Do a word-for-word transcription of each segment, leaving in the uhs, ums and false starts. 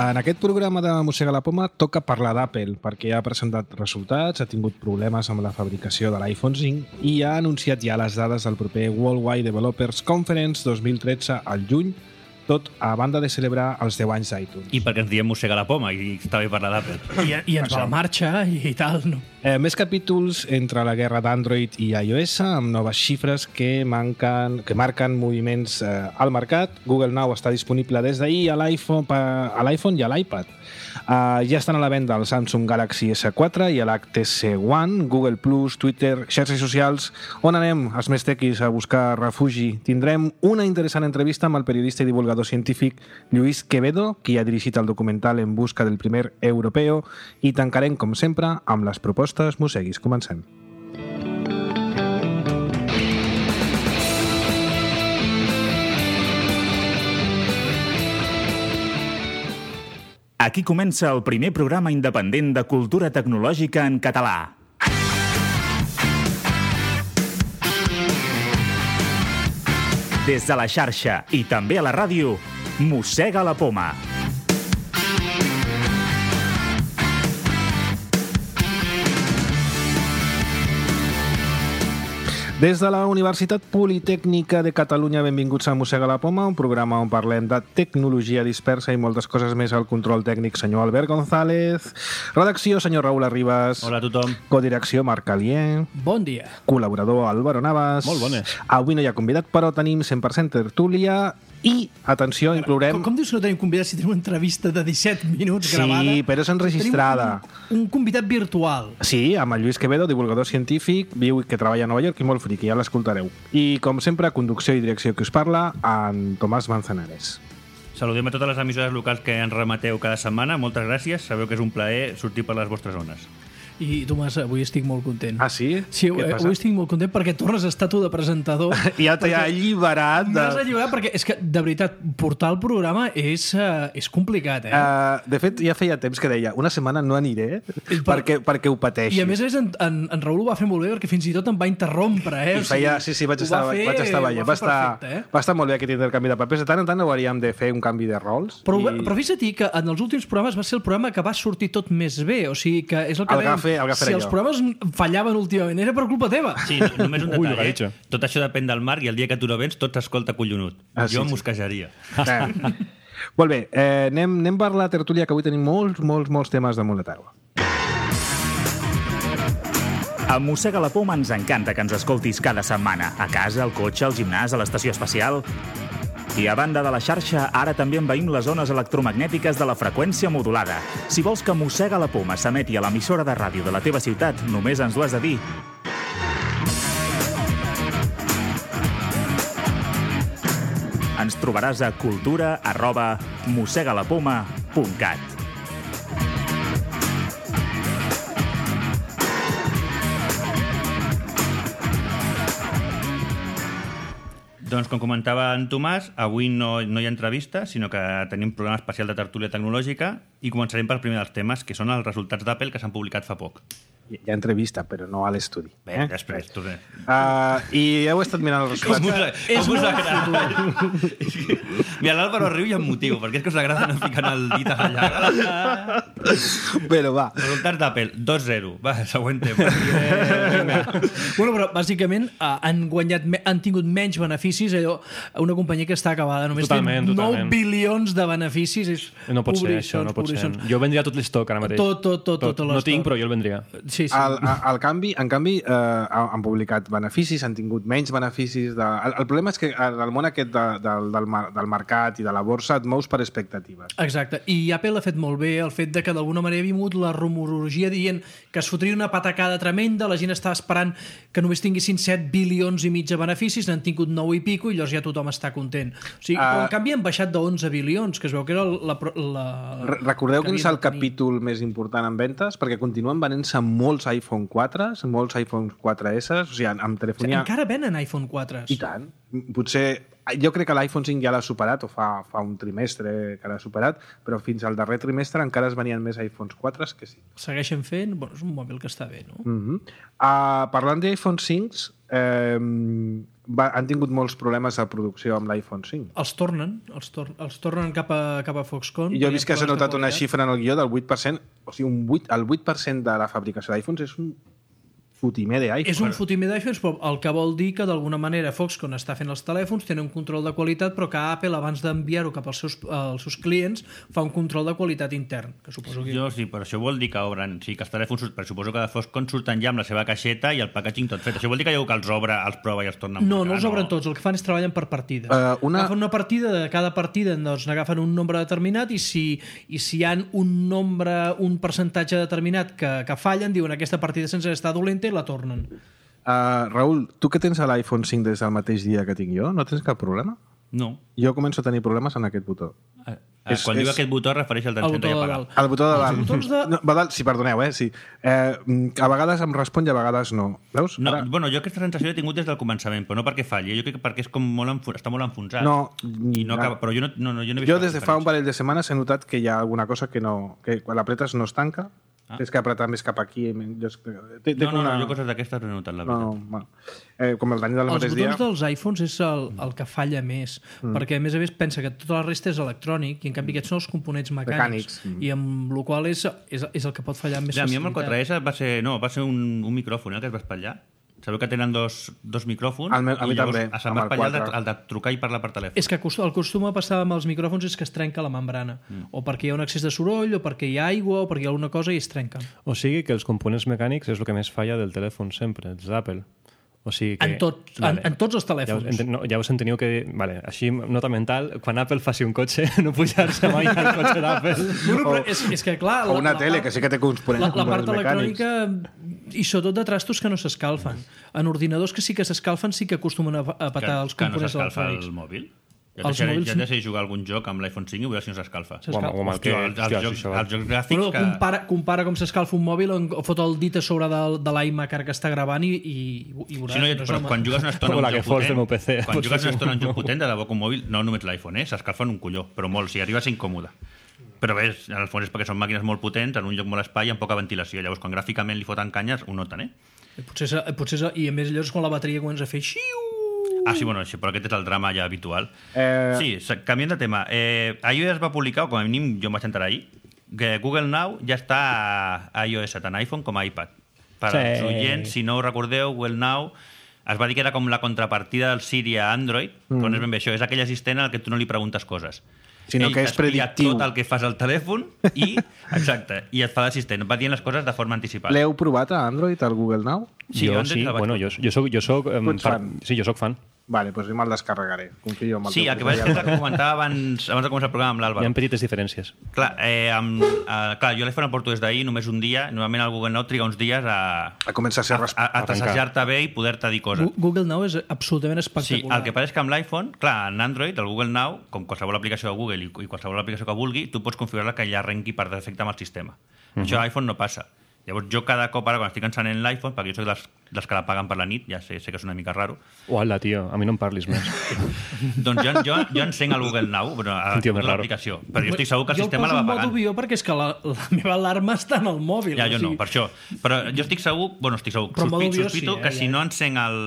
En aquest programa de Mossega la Poma toca parlar d'Apple, perquè ja ha presentat resultats, ha tingut problemes amb la fabricació de l'iPhone cinc i ha anunciat ja les dades del proper Worldwide Developers Conference dos mil tretze al juny, tot a banda de celebrar els deu anys d'iTunes. I perquè ens diem Mossega la Poma i està bé parlar d'Apple. I, I ens va la marxa i tal, no? Eh, més capítols entre la guerra d'Android i iOS, amb noves xifres que, manquen, que marquen moviments eh, al mercat. Google Now està disponible des d'ahir a l'iPhone a l'iPhone i a l'iPad. Uh, ja estan a la venda el Samsung Galaxy esse quatre i l'H T C One, Google Plus, Twitter, xarxes socials. On anem, els més tequis, a buscar refugi? Tindrem una interessant entrevista amb el periodista i divulgador científic Lluís Quevedo, qui ha dirigit el documental En busca del primer europeo, i tancarem, com sempre, amb les propostes mosseguis. Comencem. Aquí comença el primer programa independent de cultura tecnològica en català. Des de la xarxa i també a la ràdio, Mossega la Poma. Des de la Universitat Politècnica de Catalunya, benvinguts a Mossega la Poma, un programa on parlem de tecnologia dispersa i moltes coses més. Al control tècnic, senyor Albert González. Redacció, senyor Raül Arribas. Hola a tothom. Codirecció, Marc Alier. Bon dia. Col·laborador, Álvaro Navas. Molt bones. Avui no hi ha convidat, però tenim cent per cent tertúlia. I, atenció, inclourem... Com, com dius que no tenim convidat si tenim una entrevista de disset minuts sí, gravada? Sí, però és enregistrada. Un, un convidat virtual. Sí, amb el Lluís Quevedo, divulgador científic, viu i que treballa a Nova York i molt friqui, ja l'escoltareu. I, com sempre, conducció i direcció que us parla, en Tomàs Manzanares. Saludem a totes les emissores locals que ens remeteu cada setmana. Moltes gràcies. Sabeu que és un plaer sortir per les vostres zones. I, Tomàs, avui estic molt content. Ah, sí? Sí, avui, avui estic molt content perquè tornes a estar tu de presentador. Ja t'he alliberat. De... M'has alliberat perquè, és que, de veritat, portar el programa és, uh, és complicat, eh? Uh, de fet, ja feia temps que deia, una setmana no aniré per... perquè, perquè ho pateixi. I a més a més, en, en, en Raül ho va fer molt bé perquè fins i tot em va interrompre, eh? I feia, sí, sí, vaig estar, fer, vaig estar veient. Va, estar, perfecte, eh? va estar molt bé aquest intercanvi de papers. De tant en tant hauríem de fer un canvi de rols. Però, i... però fixa't que en els últims programes va ser el programa que va sortir tot més bé. O sigui que és el que el gafe, el gafe si els programes fallaven últimament era per culpa teva. Sí, només un detall, Ui, eh? Tot això depèn del Marc i el dia que tu no vens tot s'escolta collonut. Ah, jo sí, mosquejaria. Eh. Molt bé, eh, anem, anem per la tertúlia, que avui tenim molts, molts, molts temes damunt la taula. A Mossega la Poma ens encanta que ens escoltis cada setmana. A casa, al cotxe, al gimnàs, a l'estació espacial... I a banda de la xarxa, ara també envaïm les zones electromagnètiques de la freqüència modulada. Si vols que Mossega la Poma s'emeti a l'emissora de ràdio de la teva ciutat, només ens ho has de dir. Ens trobaràs a cultura arroba mossegalapoma punt cat. Doncs, com comentava en Tomàs, avui no, no hi ha entrevista, sinó que tenim un programa especial de tertúlia tecnològica i començarem pel primer dels temes, que són els resultats d'Apple que s'han publicat fa poc. Hi ha entrevista, però no a l'estudi. Bé, eh? després, tu bé. Uh, I heu estat mirant els resultats. Com us agrada? Mira, l'Àlvaro riu i amb motiu, perquè és que us agrada anar ficant el dit a la llaga. Però va. Resultats d'Apple, dos zero. Va, següent tema. Bueno, però bàsicament uh, han guanyat, han tingut menys beneficis. Allò, una companyia que està acabada. Només totalment, té totalment. nou bilions de beneficis. És no pot ser això, no pot ser. Jo vendria tot l'estoc ara mateix. Tot, tot, tot. tot, tot no tinc, però jo el vendria. Sí, sí. El, el canvi, en canvi, eh, han publicat beneficis, han tingut menys beneficis. De... El, el problema és que el món aquest de, del, del, del mercat i de la borsa et mous per expectatives. Exacte. I Apple ha fet molt bé el fet de que d'alguna manera ha vingut la rumorologia dient que es fotria una patacada tremenda, la gent estava esperant que només tinguessin set bilions i mig de beneficis, n'han tingut nou i pico i llavors ja tothom està content. O sigui, uh, però en canvi han baixat d'onze bilions, que es veu que era la... la recordeu quin és el capítol més important en ventes? Perquè continuen venent-se molts iPhone quatre, molts iPhone quatre esse, o sigui, amb telefonia... O sigui, encara venen iPhone quatre. I tant. Potser... Jo crec que l'iPhone cinc ja l'ha superat, o fa, fa un trimestre que l'ha superat, però fins al darrer trimestre encara es venien més iPhones quatre que sí. Segueixen fent... Bueno, és un mòbil que està bé, no? Uh-huh. uh, parlant d'iPhone cinc, eh, va, han tingut molts problemes de producció amb l'iPhone cinc. Els tornen, els, tor els tornen cap a, cap a Foxconn. I jo he vist que s'ha notat una xifra en el guió del vuit per cent, o sigui, un vuit, el vuit per cent de la fabricació d'iPhones és un fotimer d'iPhone. És un fotimer d'iPhones, però el que vol dir que d'alguna manera Foxconn està fent els telèfons, tenen un control de qualitat, però que Apple, abans d'enviar-ho cap als seus, als seus clients, fa un control de qualitat intern, que suposo que... Jo sí, però això vol dir que obren... Sí, que els telèfons, però suposo que de Foxconn surten ja amb la seva caixeta i el packaging tot fet. Això vol dir que hi ha que els obre, els prova i els torna a No, no els obren tots, el que fan és treballen per partides. Uh, una... Agafen una partida, de cada partida doncs, n'agafen un nombre determinat i si, i si hi ha un nombre, un percentatge determinat que, que fallen, diuen aquesta partida sense estar dolenta i la tornen. Uh, Raül, tu que tens l'iPhone cinc des del mateix dia que tinc jo, no tens cap problema? No. Jo començo a tenir problemes en aquest botó. Ah, ah, quan és, diu és... aquest botó es refereix al d'encendre i apagar. El botó de dalt. De... No, va dalt, sí, perdoneu, eh? Sí. Eh, a vegades em respon i a vegades no. Veus? No, Ara... bueno, jo aquesta sensació l'he tingut des del començament, però no perquè falli, jo crec que perquè és com molt enfo... està molt enfonsat. No, I no acaba... però jo no, no, no, jo no he vist jo des de fa un parell de setmanes he notat que hi ha alguna cosa que no... que quan l'apretes no es tanca. Ah. Tens que apretar més cap aquí. Té, té no, no, una... no, jo coses d'aquestes no he notat, la veritat. No, no, bueno. eh, com el dany del Els mateix dia... botons dels iPhones és el, el que falla més, mm. perquè a més a més pensa que tota la resta és electrònic i en canvi aquests són els components mecànics, mecànics. Mm. i amb la qual és, és, és el que pot fallar amb més ja, facilitat. A mi amb el quatre essa va ser, no, va ser un, un micròfon eh, que es va espatllar. Sabeu que tenen dos, dos micròfons el meu, a mi i llavors també, se'm va espatllar el de, el de trucar i parlar per telèfon. És que el costum a passar amb els micròfons és que es trenca la membrana, mm. o perquè hi ha un excés de soroll, o perquè hi ha aigua, o perquè hi ha alguna cosa i es trenca. O sigui que els components mecànics és el que més falla del telèfon sempre, els d'Apple. O sigui que, en, tot, vale. en, en tots els telèfons. Ja us, no, ja us enteniu que... Vale, així, nota mental, quan Apple faci un cotxe, no pujar-se mai al cotxe d'Apple. Bueno, però és, és que, clar... O una la, tele, la, que sí que té components la, la part mecànics. electrònica, i sobretot de trastos que no s'escalfen. En ordinadors que sí que s'escalfen, sí que acostumen a, a petar que, els components electrònics. Que no s'escalfa el mòbil? Ja deixaré, ja deixaré jugar algun joc amb l'iPhone cinc i veure si no s'escalfa. O amb el que... Els, els, jocs, els jocs gràfics... Bueno, que... compara, compara com s'escalfa un mòbil o fot el dit a sobre de, de l'iMac que està gravant i, i, i veuràs. Si no, però no quan jugues una estona un joc potent, P C, quan jugues una estona un joc potent, de debò que un mòbil, no només l'iPhone, eh, s'escalfen un colló, però molt, si arriba a ser incòmode. Però bé, en el fons és perquè són màquines molt potents, en un lloc molt espai i amb poca ventilació. Llavors, quan gràficament li foten canyes, ho noten, eh? Potser, potser, I a més, llavors, quan la bateria comença a fer xiu... Ah, sí, bueno, sí, però aquest és el drama ja habitual. Eh... Sí, canviant de tema. Eh, iOS va publicar, o com a mínim jo em vaig entrar ahir, que Google Now ja està a iOS, tant iPhone com a iPad. Per sí. als oients, si no ho recordeu, Google Now es va dir que era com la contrapartida del Siri a Android, mm. però no és ben bé això, és aquell assistent al que tu no li preguntes coses. Sinó Ell que és predictiu. tot el que fas al telèfon i, exacte, i et fa l'assistent. Va dient les coses de forma anticipada. L'heu provat a Android, al Google Now? Sí, jo sí, bueno, jo, jo soc, jo soc, um, par... sí, jo soc fan. Vale, doncs me'l descarregaré. Confio en el sí, el que vaig fer que comentava abans, abans de començar el programa amb l'Àlvaro. Hi ha petites diferències. Clar, eh, amb, eh, clar jo l'iPhone el porto des d'ahir, només un dia. Normalment el Google Now triga uns dies a... A començar a ser... A, a, a passejar-te bé i poder-te dir coses. Google Now és absolutament espectacular. Sí, el que passa és que amb l'iPhone, clar, en Android, el Google Now, com qualsevol aplicació de Google i, i qualsevol aplicació que vulgui, tu pots configurar-la que ja arrenqui per defecte amb el sistema. Uh-huh. Això a l'iPhone no passa. Llavors jo cada cop ara quan estic encenent l'iPhone, perquè jo soc dels, dels que la paguen per la nit, ja sé, sé que és una mica raro. Uala, tio, a mi no em parlis més. Doncs jo, jo, jo encenc el Google Now, però a l'aplicació. Però jo estic segur que el jo sistema el la va pagant. Jo el poso en modo avió perquè és que la, la meva alarma està en el mòbil. Ja, jo o sigui... no, per això. Però jo estic segur, bueno, estic segur, sospito, sospito sí, eh, que ja. si no encenc el,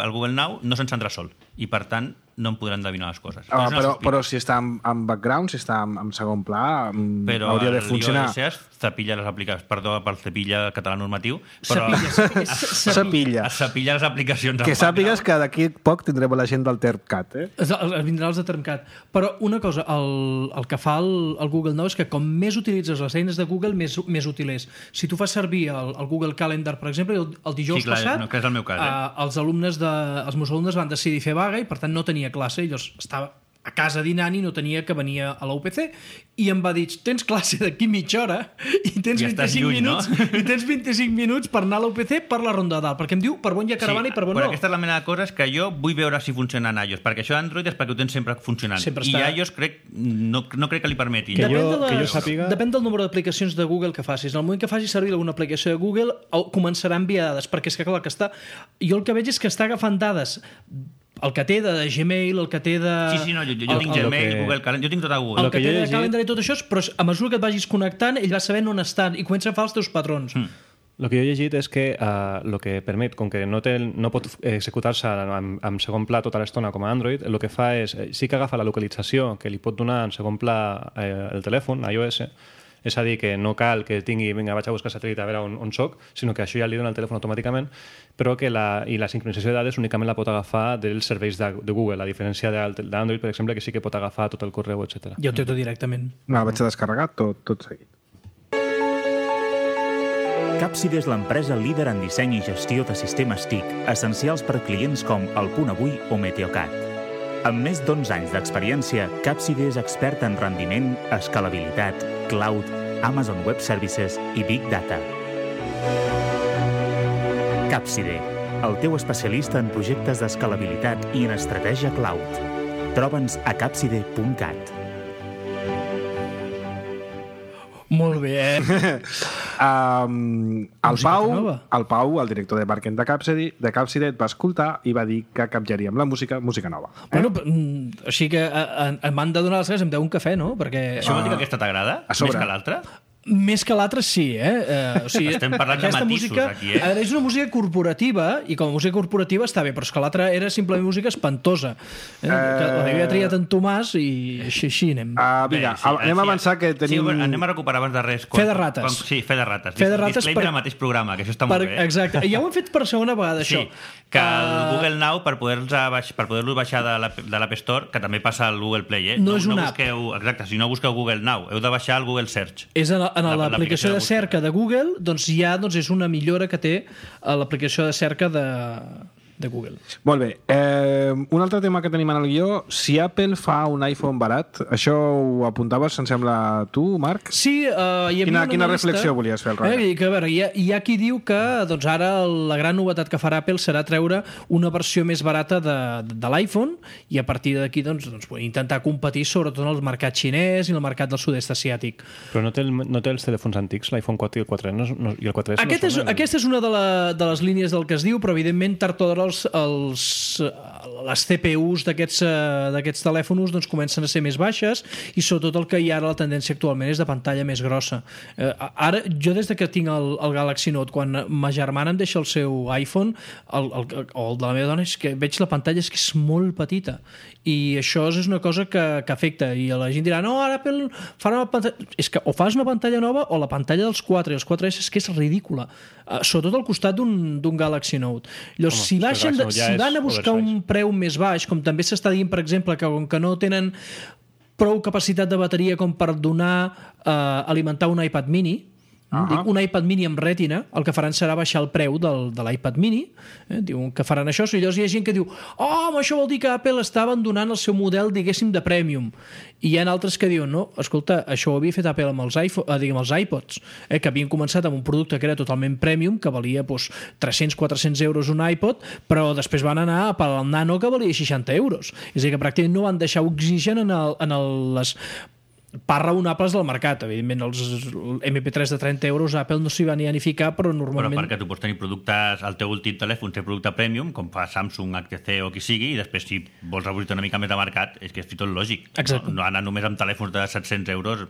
el Google Now no s'encendrà sol. I per tant no em podran endevinar les coses. Ah, però, però si està en, en background, si està en, en segon pla, però hauria de funcionar. Però el cepilla les aplicacions, perdó pel cepilla català normatiu, però cepilla, cepilla. es cepilla les aplicacions. Que sàpigues que d'aquí poc tindrem la gent del TermCat, eh? Es, es, vindrà els de TermCat. Però una cosa, el, el que fa el, el Google Now és que com més utilitzes les eines de Google, més, més útil és. Si tu fas servir el, el Google Calendar, per exemple, el, el dijous sí, clar, passat, no, que és el meu cas, eh? uh, els, alumnes de, els meus alumnes van decidir fer vaga i per tant no tenia classe, i llavors estava a casa dinant i no tenia que venir a la U P C i em va dir, tens classe d'aquí mitja hora i tens, ja vint-i-cinc lluny, minuts, no? i tens vint-i-cinc minuts per anar a la U P C per la ronda de dalt, perquè em diu per bon hi ha caravana sí, i per bon però no. Aquesta és la mena de coses que jo vull veure si funciona en iOS, perquè això d'Android és perquè ho tens sempre funcionant. Sempre I està... iOS crec, no, no crec que li permeti. Que Depèn, jo, de les, que jo sàpiga... depèn del número d'aplicacions de Google que facis. En el moment que facis servir alguna aplicació de Google començarà a enviar dades, perquè és que clar que està... Jo el que veig és que està agafant dades el que té de Gmail, el que té de... Sí, sí, no, jo, jo el, tinc el, Gmail, que... Google Calendar, jo tinc tot a Google. El el que, que té de llegit... Calendar i tot això, però a mesura que et vagis connectant, ell va sabent on estan i comença a fer els teus patrons. Mm. El que jo he llegit és que el uh, que permet, com que no, té, no pot executar-se en, en segon pla tota l'estona com a Android, el que fa és, sí que agafa la localització que li pot donar en segon pla eh, el telèfon, iOS, és a dir, que no cal que tingui, vinga, vaig a buscar satèl·lit a veure on, on soc, sinó que això ja li dona el telèfon automàticament, però que la, i la sincronització de dades únicament la pot agafar dels serveis de, de Google, a diferència d'Android, per exemple, que sí que pot agafar tot el correu, etcètera. Ja ho té tot directament. No, vaig a descarregar tot, tot seguit. Capside és l'empresa líder en disseny i gestió de sistemes T I C, essencials per clients com El Punt Avui o Meteocat. Amb més d'onze anys d'experiència, Capside és expert en rendiment, escalabilitat, cloud, Amazon Web Services i Big Data. Capside, el teu especialista en projectes d'escalabilitat i en estratègia cloud. Troba'ns a capside punt cat. Molt bé, eh? um, el, Pau, el Pau, el director de marketing de Capside, de Capside, et va escoltar i va dir que canviaríem la música, música nova. Eh? Bueno, així que em van de donar les gràcies, em deu un cafè, no? Perquè... Això vol dir que aquesta t'agrada? Més que l'altra? Més que l'altre, sí, eh? Uh, o sigui, estem parlant de matisos música, aquí, eh? És una música corporativa, i com a música corporativa està bé, però és que l'altra era simplement música espantosa. Eh? Uh... Que l'havia triat en Tomàs i així, així anem. Uh, vinga, bé, sí, anem sí, a avançar que tenim... Sí, anem a recuperar abans de res. Fe de rates. Quan, sí, fe de rates. Fe de rates Disclaimer per, al mateix programa, que això està per, molt bé. Eh? Exacte, i ja ho hem fet per segona vegada, sí, això. Que el uh... Google Now, per poder-lo per poder baixar de l'App Store, que també passa al Google Play, eh? No, no és una no busqueu, app. Exacte, si no busqueu Google Now, heu de baixar el Google Search. És en, en l'aplicació de cerca de Google, doncs ja doncs és una millora que té l'aplicació de cerca de, de Google. Molt bé. Eh, un altre tema que tenim en el guió, si Apple fa un iPhone barat, això ho apuntaves, em sembla, tu, Marc? Sí, uh, hi havia quina, una quina analista, reflexió volies fer al darrere? Eh, que, a veure, hi ha, hi ha qui diu que doncs, ara la gran novetat que farà Apple serà treure una versió més barata de, de, de l'iPhone i a partir d'aquí doncs, doncs, intentar competir sobretot en el mercat xinès i el mercat del sud-est asiàtic. Però no té, el, no té els telèfons antics, l'iPhone quatre i el quatre no, no, i el quatre S Aquest no és, són el... Aquesta és una de, la, de les línies del que es diu, però evidentment tard o d'hora els, els, les C P Us d'aquests telèfons doncs, comencen a ser més baixes i sobretot el que hi ha ara la tendència actualment és de pantalla més grossa. Eh, ara, jo des de que tinc el, el Galaxy Note, quan ma germana em deixa el seu iPhone, el, el, o el de la meva dona, és que veig la pantalla és que és molt petita i això és una cosa que, que afecta i la gent dirà, no, ara Apple farà una pantalla... És que o fas una pantalla nova o la pantalla dels quatre i els quatre S és que és ridícula, uh, sobretot al costat d'un Galaxy Note. Llavors, Home, si, baixen de, si van a buscar un preu més baix, com també s'està dient, per exemple, que com que no tenen prou capacitat de bateria com per donar, uh, alimentar un iPad mini, Uh-huh. Dic, un iPad mini amb rètina, el que faran serà baixar el preu del, de l'iPad mini, eh? Diuen que faran això, i llavors hi ha gent que diu oh, això vol dir que Apple està abandonant el seu model, diguéssim, de premium, i hi ha altres que diuen, no, escolta, això ho havia fet Apple amb els, iPhone, eh, diguem, els iPods, eh, que havien començat amb un producte que era totalment premium, que valia doncs, tres-cents a quatre-cents euros un iPod, però després van anar a per al Nano, que valia seixanta euros, és a dir, que pràcticament no van deixar oxigen en, el, en el, les parts raonables del mercat. Evidentment, els M P tres de trenta euros Apple no s'hi va ni a ni ficar, però normalment... Però perquè tu pots tenir productes, el teu últim telèfon té producte premium, com fa Samsung, H T C o qui sigui, i després si vols reobrir una mica més de mercat, és que és tot lògic. Exacte. No, no anar només amb telèfons de set-cents euros,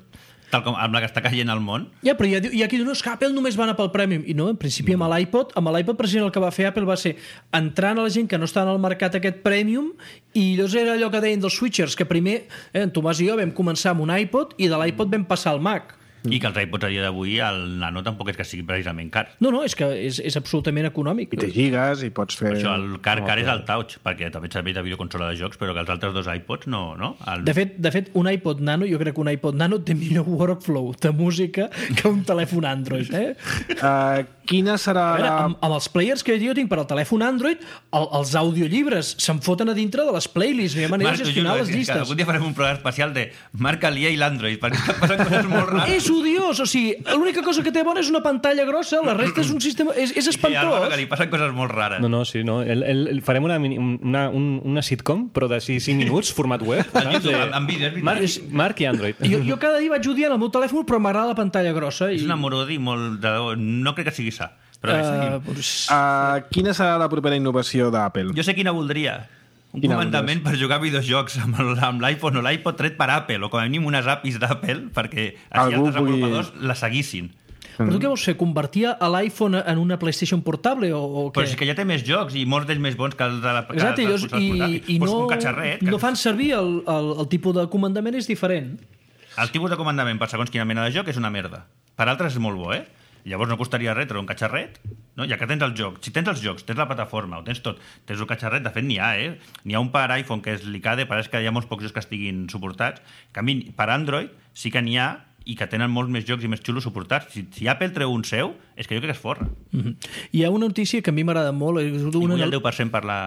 tal com amb la que està caient al món. Ja, però hi ha, hi ha qui diu, no, és que Apple només va anar pel Premium. I no, en principi amb l'iPod, amb l'iPod precisament el que va fer Apple va ser entrar a la gent que no està en el mercat aquest Premium, i llavors era allò que deien dels switchers, que primer, eh, en Tomàs i jo vam començar amb un iPod i de l'iPod vam passar al Mac. I que els iPods a dia d'avui, el Nano tampoc és que sigui precisament car. No, no, és que és, és absolutament econòmic. I té gigas i pots fer... Per això el car car és el Touch, perquè també et serveix de videoconsola de jocs, però que els altres dos iPods no, no? El... De fet, de fet, un iPod Nano, jo crec que un iPod Nano té millor workflow de música que un telèfon Android, eh? Uh, quina serà... A veure, amb, amb els players que jo tinc per al telèfon Android, el, els audiollibres se'n foten a dintre de les playlists, no hi ha manera de gestionar les llistes. Algun dia farem un programa especial de Marc Alié i l'Android, perquè estan passant coses molt rares. És odiós, o sigui, l'única cosa que té bona és una pantalla grossa, la resta és un sistema... És, és espantós. Que li passen coses molt rares. No, no, sí, no. El, el, el, farem una, una, una sitcom, però de cinc minuts, format web. YouTube, de... amb vídeos. Marc, Marc i Android. Jo, jo cada dia vaig odiant el meu telèfon, però m'agrada la pantalla grossa. I... És un amor-odi molt... De... No crec que sigui sa. Però uh, pues... uh, quina serà la propera innovació d'Apple? Jo sé quina voldria. Un Quina comandament per jugar a videojocs amb l'iPhone o l'iPod tret per Apple, o com a mínim unes A P Is d'Apple, perquè així Algú els desenvolupadors pugui... la seguissin. Però tu què vols fer? Convertir a l'iPhone en una PlayStation portable o, o què? Però és que ja té més jocs i molts d'ells més bons que els de la que Exacte, els i, i, i pues no, un catxarret, que... no fan servir el, el, el tipus de comandament és diferent. El tipus de comandament per segons quina mena de joc és una merda. Per altres és molt bo, eh? Llavors no costaria res treure un catxarret, no? Ja que tens el joc. Si tens els jocs, tens la plataforma, ho tens tot, tens un catxarret, de fet n'hi ha, eh? N'hi ha un per iPhone que és l'I C A D E, pareix que hi ha molts pocs jocs que estiguin suportats. En canvi, per Android sí que n'hi ha i que tenen molts més jocs i més xulos suportats. Si, si Apple treu un seu, és que jo crec que es forra. Mm-hmm. Hi ha una notícia que a mi m'agrada molt. És I una... vull el deu per cent per la...